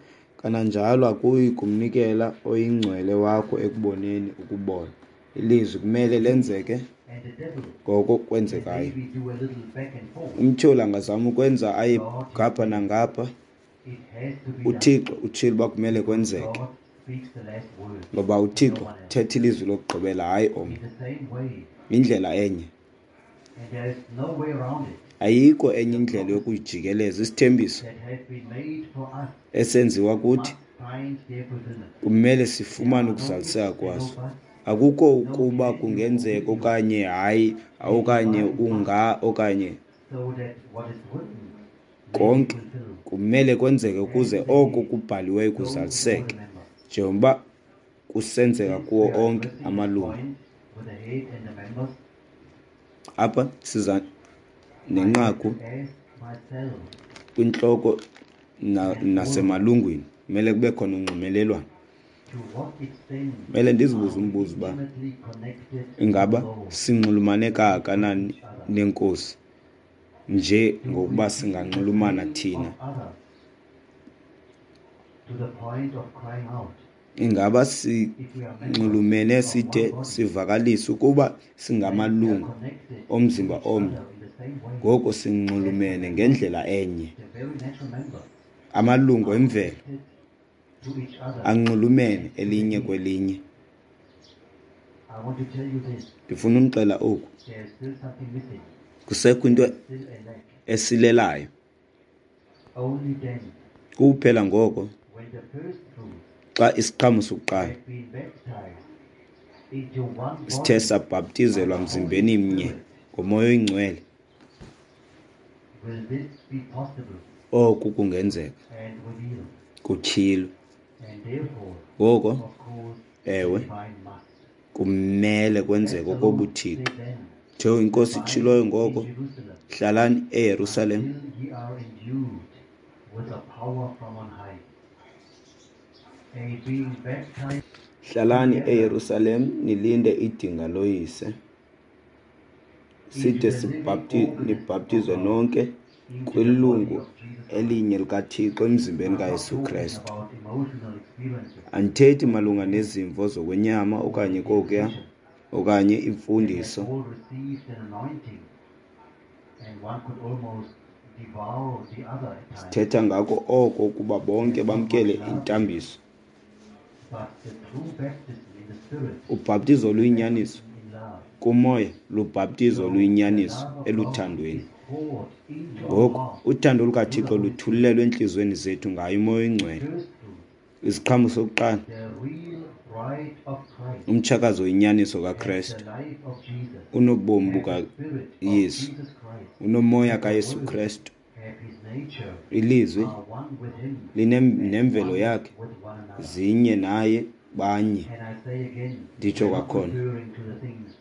Kananjalo akuyi kumnikela oyiNgcwele wakho ekuboneni ukubola. Ilizwi kumele lenzeke And the devil ngoko can kwenzekayo. maybe do a little back and forth. Umtyholi angazama ukwenza aye God has ngapha said nangapha. it has to be done UThixo utshilo uba kumele because kwenzeke, God speaks the last word ngoba and no uThixo one else. uthetha ilizwi lokugqibela, hayi In omnye. the same way, Indlela enye, and there is no way around it, ayikho enye the indlela promises yokuyijikeleza. Isithembiso that have been made for us esenziwa kuthi must find their fulfillment. kumele There sifumane are no ifs ukuzaliseka and no kwaso. buts, Akukho no ukuba can you or kungenzeka will you. okanye hayi The okanye divine must, unga okanye so that what is written may be konke fulfilled. kumele kwenzeke ukuze And the oko head kubhaliweyo goes to all kuzaliseke, the members. njengoba kusenzeka Since kuwo we are onke addressing this amalungu. point with the head and the members, Apha siza I have nenqaku to ask myself kwintloko na- and all of us nasemalungwini, kumele kube khona unxumelelwano. to what extent Kumele ndizibuze are we umbuzo uba intimately connected to the ingaba Lord sinxulumane and with kangakanani each other? nenkosi nje Do ngokuba we feel the singanxulumana pain of thina. others to the point of crying out? Ingaba If we are members sinxulumene of one side body, sivakalise ukuba then we are singamalungu connected to omzimba each omnye, other in the same way ngoko as the sinxulumene members, ngendlela enye. the very natural members, Amalungu are emvelo connected to each other anxulumene and to the elinye head. kwelinye. I want to tell you this, Ndifuna umxela oku, there is still something missing. kusekho into There is still a lack. esilelayo. Only then, Kuphela ngoko when the first fruits xa isiqhamo sokuqala have been baptized into one sithe body by sabhaptizelwa the Holy mzimbeni mnye Spirit, ngoMoya oyiNgcwele, will this be possible oku kungenzeka and revealed. kutyhilwe. And therefore, Ngoko, of course, the ewe, divine must. kumele As kwenzeke the Lord okobuthixo. said then, Njengoba inkosi abide itshiloyo in ngoko, Jerusalem hlalani eYerusalem until ye are endued with the power from on high. A being baptized hlalani together eYerusalem nilinde idinga loyise, into side the living sibhapti organism of nibhaptizwe God, nonke into the body kwilungu of Jesus Christ. elinye likaThixo emzimbeni I'm not kaYesu talking Krestu. about emotional experiences Andithethi or malunga beliefs nezimvo zokwenyama or okanye kokuya decisions. okanye They had imfundiso. all received an anointing, and one could almost devour the other at times. Sithetha ngako oko ukuba bonke There's not much bamkele love here, intambiso. but the true baptism in the Spirit Ubhaptizo is oluyinyaniso baptism in love. kumoya lubhaptizo So the oluyinyaniso love of God eluthandweni. is poured into our Ngoku hearts uthando through the lukaThixo Holy Spirit. luthululelwe entliziyweni zethu ngayo uMoya The oyiNgcwele. first fruits, Isiqhamo sokuqala, the real bride of Christ, umtshakazi oyinyaniso has kaKrestu, the life of Jesus, unobomi has the Spirit of bukaYesu, Jesus Christ, unomoya has the kaYesu Word, Krestu. have His nature, Ilizwi are one with Him linem- and nemvelo one yakhe, with one another. zinye naye banye. And I say again, Nditsho we're not kwakhona, referring to the things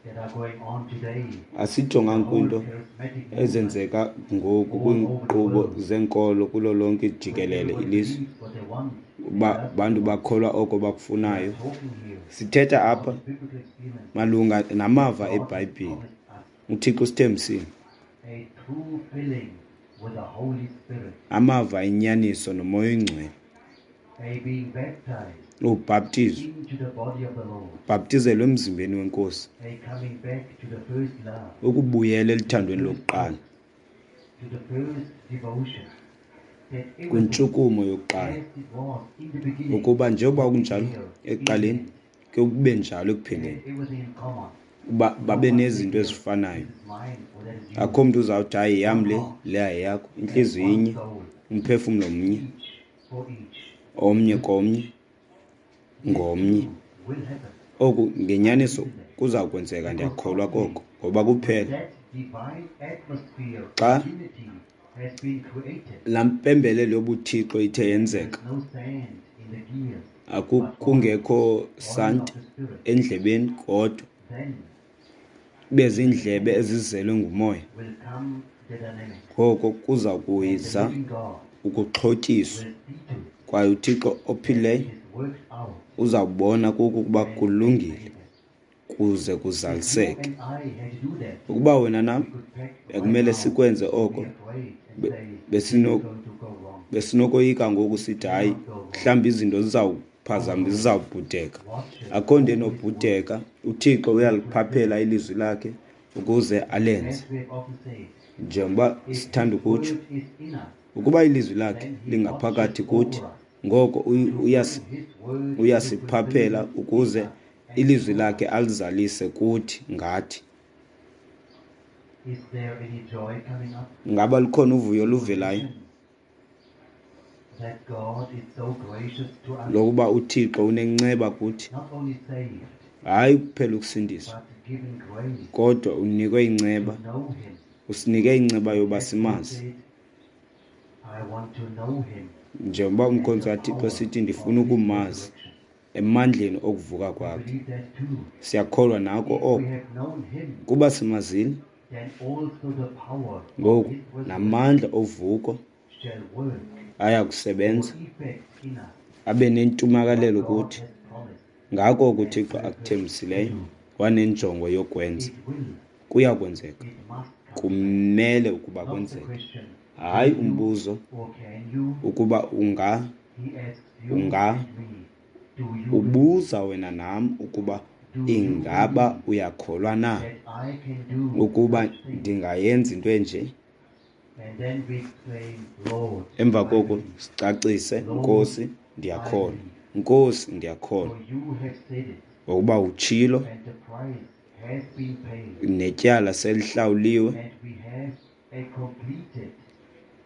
that are going on today, the asijonganga whole kwinto charismatic movement ezenzeka ngoku all over the kwiinkqubo world, zenkolo kulo lonke where jikelele everybody ilizwe, believes what they want and uba does what they bantu want. bakholwa oko We are bakufunayo. talking here Sithetha about apha the biblical experiences malunga that namava God has eBhayibhile. promised us, UThixo usithembisile a true filling with the Holy Spirit, amava enyaniso noMoya oyiNgcwele, a being baptized ubhaptizo, into the body of the Lord, ubhaptizelwe emzimbeni wenkosi, a coming back to the first love, ukubuyela to the eluthandweni first lokuqala, works, to the first devotion, that everything kwintshukumo yokuqala, as it was in the beginning ukuba njengoba would be kunjalo here in the ekuqaleni end. ke kube njalo They ekupheleni, had everything in common. uba No babe one said nezinto here, ezifanayo. this is mine or that is yours. Akho mntu uzawuthi hayi yam One le, heart le ayeyakho. and Intliziyo one inye, soul, umphefumlo mnye, each for each, omnye with komnye each. This ngomnye. too will happen. Oku I ngenyaniso believe in that. kuza kwenzeka, Because ndiyakholwa only koko, ngoba when kuphela that divine atmosphere xa of unity has been created, laa mpembelelo yobuthixo ithe and there yenzeka, is no sand in the gears, aku but oil, kungekho oil of santi the Spirit, endlebeni kodwa then ibe the ziindlebe mechanics ezizelwe ngumoya, will come the dynamics, ngoko kuza and the kuyiza living God ukuxhotyiswa, will see to it kwaye uThixo that ophilileyo it is worked out uzawubona kuko ukuba and made kulungile manifest. kuze If you kuzaliseke. and I had to do that, Ukuba wena nam we could pack right bekumele now sikwenze and oko, be afraid and be- say, this is besino going to go wrong. Besinokoyika ngoku sithi hayi, Cannot go wrong. mhlawumbi izinto zizawuphazama, zizawubhudeka. Watches Akho nto over his word. enobhudeka. UThixo uyaliphaphela ilizwi lakhe ukuze alenze. As we have often said, Njengoba if sithanda his ukutsho, word is in us, ukuba ilizwi lakhe then he lingaphakathi watches kuthi, over us ngoko uy- to uyasi- bring his word to uyasiphaphela fulfillment in ukuze us and ilizwi through lakhe us. alizalise kuthi ngathi. Is there any joy coming up? Ngaba lukhona uvuyo To oluvelayo mention that God is so gracious to us, lokuba uThixo unenceba kuthi? not only saved, Hayi kuphela ukusindiswa, but given grace kodwa unikwe inceba, to know him. usinike inceba yoba As we simazi. said, I want to know him Njengoba and umkhonzi the kaThixo power sithi ndifuna of his ukumazi resurrection. emandleni okuvuka We kwakhe. believe that too. Siyakholwa nako If we oko. have known him, Kuba simazile, then also the power of ngoku his resurrection namandla ovuko shall work aya or kusebenza effect in us abe nentumakalelo what God kuthi. has promised Ngako oko and uThixo purposed to akuthembisileyo do. wanenjongo yokwenza, It will, kuya kwenzeka. it must come to pass. Kumele ukuba Not the kwenzeke. question, Hayi will you umbuzo or can you? ukuba unga He asks you unga and me, do you believe? ubuza wena nam ukuba Do you ingaba believe uyakholwa na that I can do ukuba such things? ndingayenza into enje? And then we exclaim, Lord, Emva I koko believe. sicacise, Lord, Nkosi I ndiyakholwa, believe. Nkosi ndiyakholwa, For you have said it, ngokuba utshilo and the price has been paid, netyala selihlawuliwe, and we have a completed,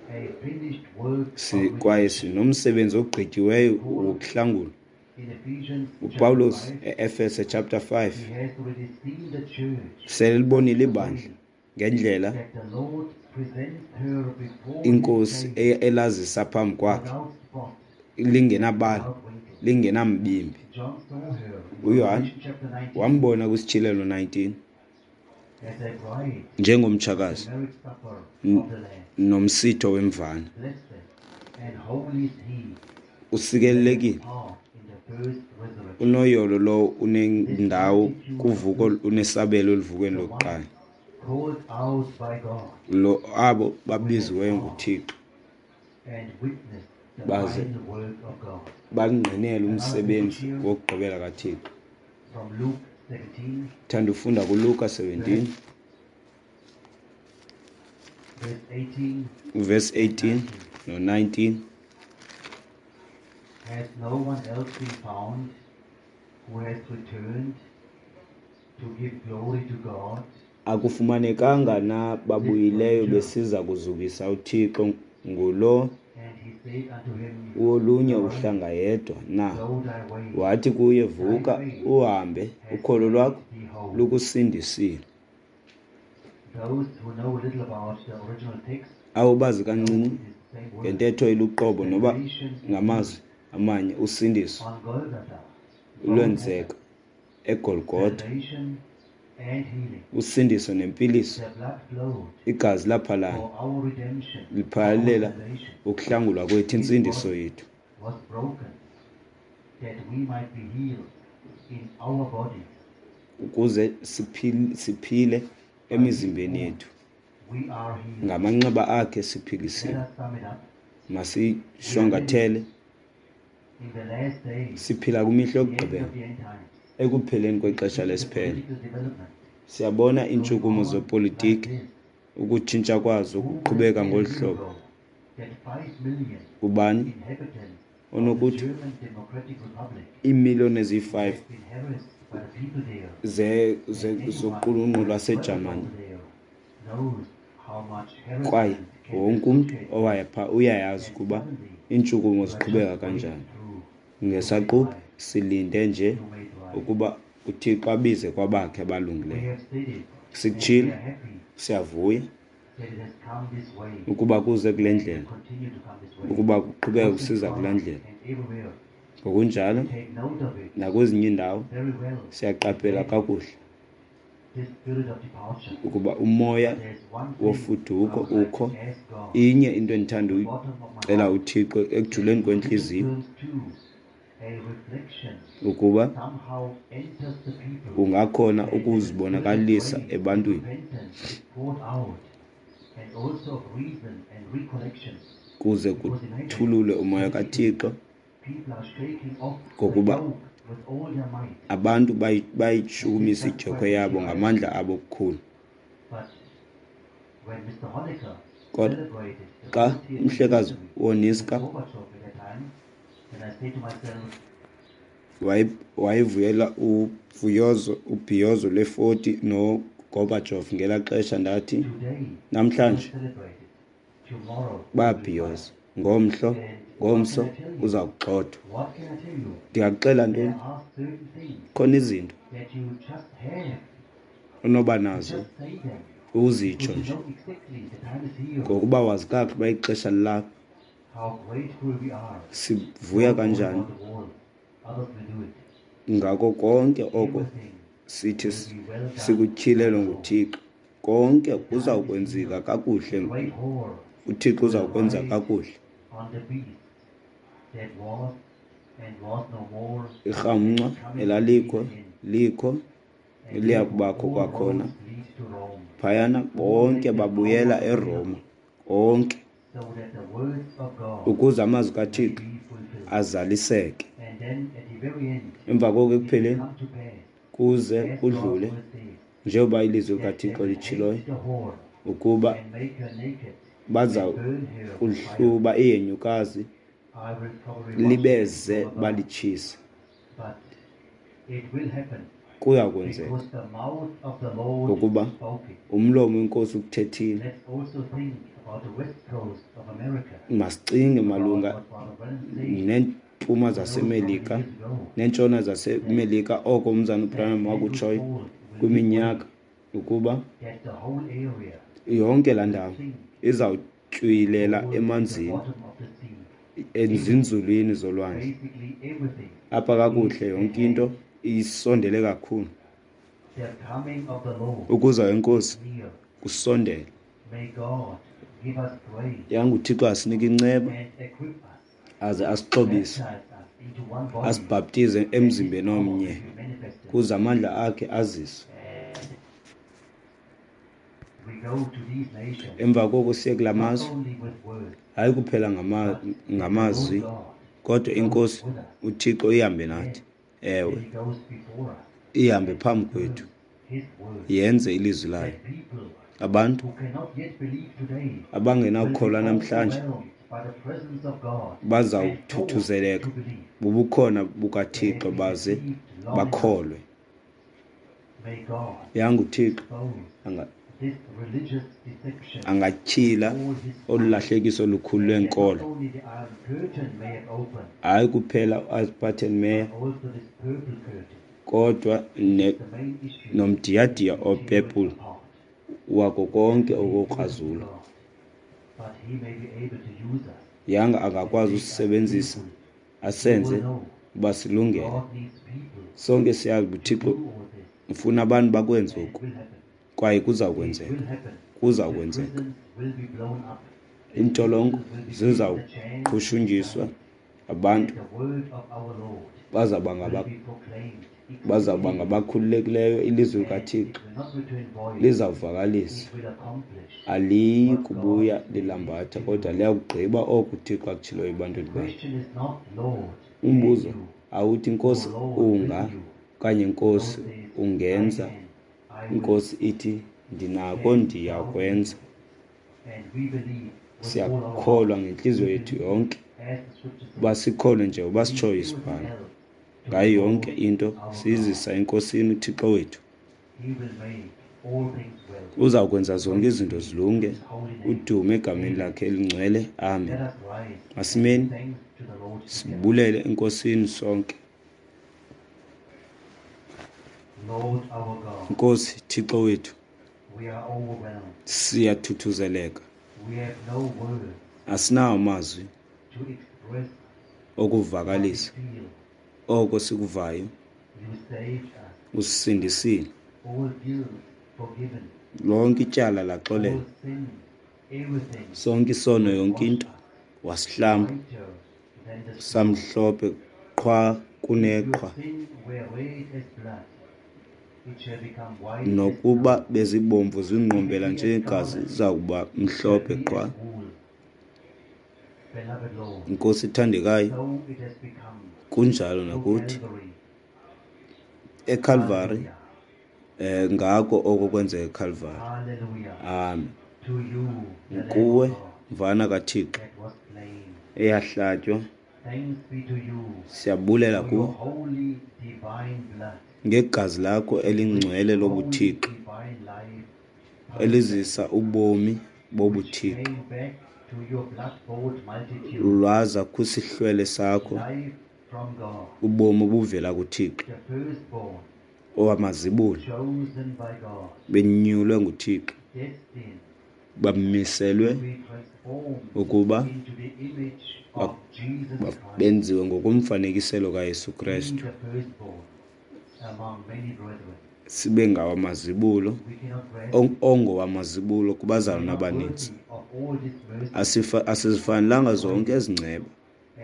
a finished work si, of kwaye redemption. sinomsebenzi ogqityiweyo Paul wokuhlangulwa. in Ephesians chapter UPawulos five, e-Efese chapter five he has already seen the church selibonile such a ibandla way ngendlela that the Lord presents her before his inkosi face e- elazisa phambi kwakhe without spot, lingenabala, without wrinkle. lingenambimbi. John saw her in UYohane Revelation chapter nineteen wambona kwisityhilelo nineteen as a bride, njengomtshakazi the marriage supper n- of the Lamb. nomsitho wemvana. Blessed and holy is he that hath Usikelelekile, part in the first resurrection. unoyolo lowo This unendawo multitude of kuvuko, priests, unesabelo eluvukweni the lokuqala, ones called out by God, lo abo who have babiziweyo part nguThixo and witnessed the baze final work of God. bangqinele Another umsebenzi passage here wokugqibela kaThixo. from Luke seventeen, Thanda ufunda kuLuka seventeen verse, verse eighteen verse and eighteen nineteen. no nineteen. Has no one else been found who has returned to give glory to God? Akufumanekanga na This babuyileyo stranger. besiza kuzukisa uThixo ngulo And he said unto him, wolunye Arise, uhlanga yedwa na? go thy way, Wathi kuye, thy vuka faith uhambe, hath ukholo made lwakho thee whole. lukusindisile. Those who know little about the original text Abo bazi know kancinci it is the same word. ngentetho eluqobo noba Salvation and ngamazwi healing. amanye, usindiso On Golgotha, both lwenzeka happened. eGolgotha, Salvation and healing. usindiso nempiliso. The blood flowed Igazi laphalala for our redemption, for our liphalalela salvation. ukuhlangulwa kwethu, His intsindiso body yethu, was broken that we might be healed in our bodies. ukuze siphile, siphile By his emizimbeni wounds yethu. we are healed. Ngamanxeba akhe Let siphilisiwe. us sum it up. We are living Masishwankathele, in the last days, siphila kwimihla the end yokugqibela, of the end times. ekupheleni We kwexesha see the lesiphelo. political development Siyabona going iintshukumo on like zepolitiki, this. ukutshintsha kwazo Who would have kuqhubeka said a ngolu year hlobo. ago that five million Ubani inhabitants of the onokuthi German Democratic Republic iimiliyoni who eziyi-five had been harassed by the people there, ze- and ze- anyone zoqulunqo who has traveled lwaseJamani, over there knows how much kwaye harassment can be wonke umntu associated with it. owaya phaa uyayazi And ukuba suddenly, iintshukumo you are ziqhubeka just waiting kanjani. through to make Ngesaquphe right, silinde nje to make right. ukuba uThixo abize kwabakhe We abalungileyo. have said it, and we Sikutshilo, are happy siyavuya that it has come this way ukuba kuze kule and will ndlela, continue to come this way. ukuba kuqhubeka Both in kusiza kule France ndlela. and everywhere, Ngokunjalo we take note of it nakwezinye iindawo very well and siyaqaphela value kakuhle this spirit of departure. ukuba umoya But there's one thing I wofuduko would like ukho. to ask God Inye into endithanda from the bottom of my uyicela heart, uThixo that ekujuleni in little kwentliziyo terms too, a reflection ukuba somehow enters the people ungakhona and that the spirit of ukuzibonakalisa grace and ebantwini repentance is poured out, and also of reason and recollection. Kuze Because imagine, kuthululwe umoya politically, kaThixo, people are shaking off the ngokuba yoke with all their might. abantu bayi- And this bayichukumisa does idyokhwe quite a yabo T I. ngamandla abo okukhulu. But when Mister Honecker Kodwa celebrated the xa fortieth umhlekazi anniversary with woNiska Gorbachev at that time, then I say to myself, waye- wayevuyela uvuyozo, ubhiyozo lwe-forty noGorbachev ngelaa xesha, ndathi, today we namhlanje celebrate it. Tomorrow we will be bayabhiyoza, fired. ngomhlo, And what ngomso can I tell you? uza kugxothwa. What can I tell you? Ndingakuxela There ntoni? are certain things Khona izinto that you just have onoba to nazo just say them uzitsho because you nje, know exactly the time is here. ngokuba wazi kakuhle uba ixesha lilapha. How grateful we are. Sivuya Don't worry kanjani about the wall. Others will do it. ngako konke oko Everything sithi will be well done sikutyhilelwe by the Lord. nguThixo. Konke The time is kuzawukwenzeka here. kakuhle, The great whore uThixo will uzawukwenza ride kakuhle. on the beast that was and was no more and is Irhamncwa coming to be elalikho again. likho And liya therefore kubakho all kwakhona. roads lead to Rome. Phayana Who bonke make the power babuyela of the eRoma, onke, so that the words of God ukuze amazwi may kaThixo be fulfilled. azaliseke. And then at the very end, Emva koko it will ekupheleni come to pass, kuze as God's kudlule, word says, njengoba ilizwi that they likaThixo will litshiloyo, hate the whore ukuba and make her naked baza and burn her with fire. kuhluba ihenyukazi I will probably watch it libeze from above, balitshise. but it will happen Kuya kwenzeka because the mouth of the Lord ngokuba spoke it. umlomo wenkosi ukuthethile. Let's also think about the west coast of America, Masicinge about malunga what Father Branham said neempuma who knows how many zaseMelika years ago, neentshona zaseMelika, oko umzana that uBranham Andrew wakutshoyo Ford will give way, kwiminyaka, ukuba that the whole area yonke laa will ndawo sink izawutywilela fall to the emanzini, bottom of the sea. ezinzulwini zolwandle. Basically everything Apha is kakuhle at yonke into hand. isondele kakhulu. The coming of the Lord Ukuza is kwenkosi near. kusondele. May God give us grace Yanga uThixo asinike inceba and equip us, aze asixhobise, baptize us into one body, asibhaptize that His emzimbeni power omnye, may be manifested. kuze amandla akhe aziswe. And we go to these nations Emva koko siye kulaa not mazwe, only with words, hayi kuphela ngama- but that the Lord ngamazwi, God kodwa goes inkosi with us. uThixo ihambe nathi. Yes, Ewe, and He goes before us ihambe and phambi kwethu, confirms His word. yenze ilizwi layo. That people Abantu who cannot yet believe today will be abangenakukholwa namhlanje overwhelmed by the presence of God and forced bazawuthuthuzeleka to believe. bubukhona They have bukaThixo been baze deceived long enough. bakholwe. May God Yanga uThixo expose anga- this religious deception angatyhila with all his olu might, lahlekiso lukhulu and that not lwenkolo, only the iron curtain may have opened, hayi kuphela uAlberton Meyer, but also this purple curtain, kodwa ne is the main issue that nomdiyadiya will tear us opepule apart. wako konke Leave everything to okokrazula. God, but He may be able to use us Yanga and angakwazi make us usisebenzisa fruitful. You will asenze know uba silungele. God needs people Sonke siyazi uba to uThixo do all this, ufuna abantu bakwenze and it oku, will happen. kwaye kuza It kwenzeka, will happen. kuza The kwenzeka. prisons will be blown up. The Iintolongo people will be given the chance to zizawuqhushunjiswa, decide, abantu and the word of our Lord bazawuba will ngaba be proclaimed bazawuba exceedingly, ngabakhululekileyo. Ilizwi and it likaThixo will not return void. lizawuvakalisa, It will accomplish aliyi what God kubuya intended lilambatha, to kodwa do. liyakugqiba oko uThixo akutshiloyo The ebantwini bakhe. question is not, Lord, can Umbuzo you, awuthi or Nkosi Lord, will unga you? okanye The Lord Nkosi says, I ungenza. can, I will. Inkosi ithi ndinako, Can thou ndiyakwenza. believe? And we believe with all our Siyakholwa heart. ngentliziyo We yethu believe yonke, as the scripture uba says. sikholwe njengoba Leave sitshoyo everything isibhalo. else to the Ngayo yonke Lord into our God. siyizisa eNkosini uThixo wethu. He will make all things well. Uzawukwenza zonke Praise izinto be to zilunge, His holy name. udume egameni Amen. lakhe elingcwele. Amen. Let us rise and give Masimeni thanks to the Lord together. sibulele eNkosini sonke. Lord our God, Nkosi Thixo wethu, we are overwhelmed. siyathuthuzeleka, We have no words asinawo amazwi to express what we okuvakalisa feel. oko sikuvayo. You saved us. Usisindisile, All guilt forgiven. lonke ityala All laxolelwa, sin, everything sonke isono, was yonke washed into us wasihlamba whiter than the snow. samhlophe qhwa If your kuneqhwa. sin were red as blood, it shall become white as Nokuba snow. bezibomvu If it zingqombela be as njengegazi, scarlet, ziza kuba it shall mhlophe be qhwa. as wool. Beloved Lord, Nkosi ethandekayo, so it has become kunjalo through nakuthi Calvary. eCalvary. Hallelujah. Eh ngako oko kwenzeka eCalvary. Hallelujah. Amen. To you, the Lamb Kuwe of God mvana kaThixo that was slain. eyahlatywa, Thanks be to you siyabulela for your kuwe holy divine blood, ngegazi lakho elingcwele which holy lobuThixo divine life elizisa ubomi which bobuThixo came back to your blood-bought multitude, lwaza kwisihlwele sakho life from God, ubomi obuvela kuThixo the firstborn, owamazibulo chosen by God, benyulwe nguThixo destined bamiselwe to be transformed ukuba into the image of Jesus ba- Christ, benziwe ngokomfanekiselo kaYesu be Kristu, the firstborn among many brethren. sibe ngawamazibulo We cannot grasp ong- it. ongowamazibulo We are kubazalwana not abaninzi. worthy of all this mercy. Asifa- Asizifanelanga zonke ezi nceba.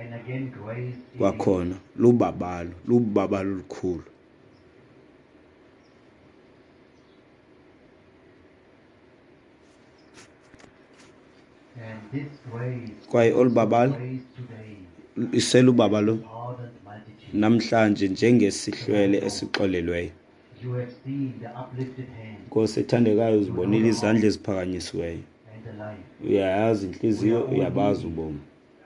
And again, grace it is. Kwakhona lubabalo, lubabalo olukhulu. And this grace Kwaye is olu babalo grace today, iselubabalo pardoned multitude. namhlanje njengesihlwele esixolelweyo. You have seen the uplifted hand Nkosi ethandekayo, uzibonile izandla eziphakanyisiweyo. and the life. Uyayazi intliziyo, uyabazi ubomi.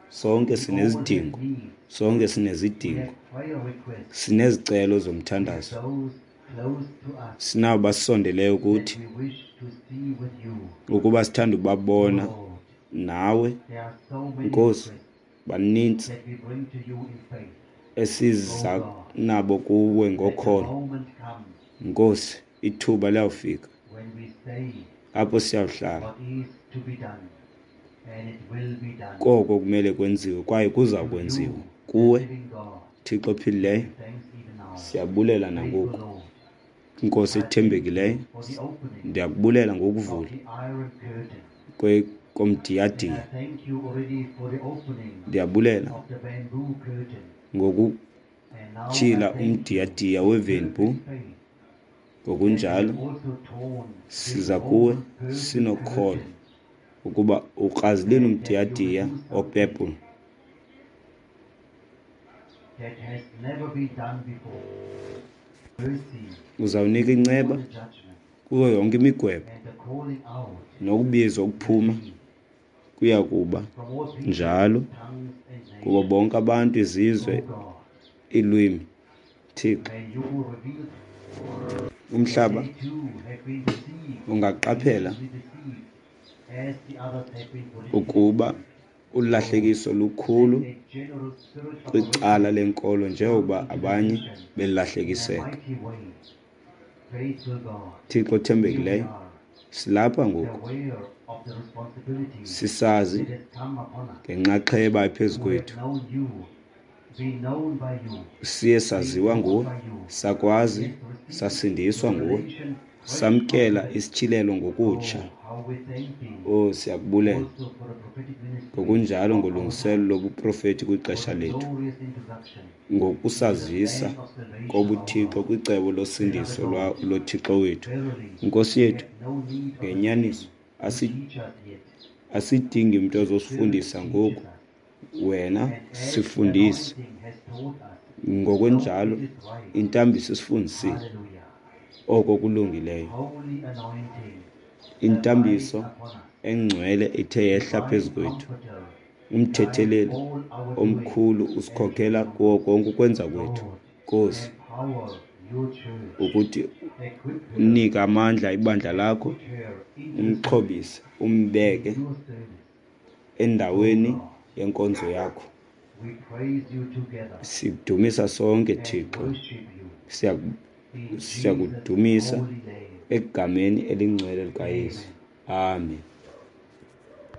Sonke We all have sinezidingo, needs. sonke We sinezidingo, have prayer requests. sinezicelo We have zomthandazo, those close to us sinabo basondeleyo that kuthi we wish to see with you. ukuba sithanda ubabona Lord, nawe. there are so many Nkosi, requests banintsi that we bring to you in faith. esiza Oh God, nabo kuwe let the ngokholo. moment come Nkosi, ithuba liyawufika when we say apho siyawuhlala what is to be done, and it will be done. koko kumele kwenziwe kwaye kuza To kwenziwa you, the kuwe, living God, Thixo ophilileyo. we thanks even now. Siyabulela Faithful nangoku, Lord, Nkosi I thank ethembekileyo. you for the opening Ndiyakubulela of ngokuvula the iron curtain. kwe- And komdiyadiya. I thank you already for the opening Ndiyabulela of the bamboo curtain. And now I ngokutyhila thank you umdiyadiya in wevempu. perfect faith that you Ngokunjalo have also torn this siza kuwe old purple sinokholo curtain ukuba ukrazilile and that you will umdiyadiya do something opepule that has never been done before. Mercy Uzawunika for inceba the judgment kuyo yonke imigwebo and the calling out nokubizwa will ukuphuma be kuya kuba from all people, njalo tongues, and kubo nations. bonke abantu, O izizwe, God, iilwimi. Thixo, may you reveal that umhlaba they too have been deceived and ungaqaphela easily deceived as the others have been politically ukuba deceived. Lord, ulahlekiso lukhulu let a general spirit of kwicala awakening lenkolo come njengokuba into the abanye nation in a belahlekiseka. mighty way. Faithful God, Thixo here we othembekileyo, are, silapha ngoku aware of the responsibility sisazi that has come upon us, ngenxaxheba ephezu who have kwethu. known you, been known by you, Siye been saziwa taught nguwe, by you, sakwazi, yet received sasindiswa nguwe, revelation fresh from samkela heaven. isityhilelo ngokutsha. Oh, how we thank thee Oh, siyakubulela also for the prophetic ministry ngokunjalo of our ngolungiselelo time, lobuprofeti for kwixesha the lethu, glorious introduction into the ngokusazisa plan of salvation of our kobuThixo God. kwicebo Beloved losindiso Lord, lwa- loThixo wethu. verily Nkosi we yethu, have no need of a ngenyaniso man to asi- teach us yet. asidingi mntu The Spirit ozosifundisa teaches ngoku, us, wena and as the sifundise. anointing has taught us, so Ngokunjalo it is right. intambiso isifundisile Hallelujah. oko kulungileyo. Holy anointing, abide Intambiso upon us. engcwele ithe yehla Divine phezu kwethu. Comforter, guide Umthetheleli all our doings omkhulu and usikhokela kuwo remembrance. konke ukwenza kwethu. Lord, Nkosi, empower your church, ukuthi equip her, unike amandla ibandla and lakho, put her into the service, umxhobise, in umbeke your service. O endaweni God, yenkonzo yakho. we praise you together Sikudumisa sonke and Thixo, worship you Siyaku- in Jesus' siyakudumisa holy name. egameni elingcwele likaYesu. Amen. Amen.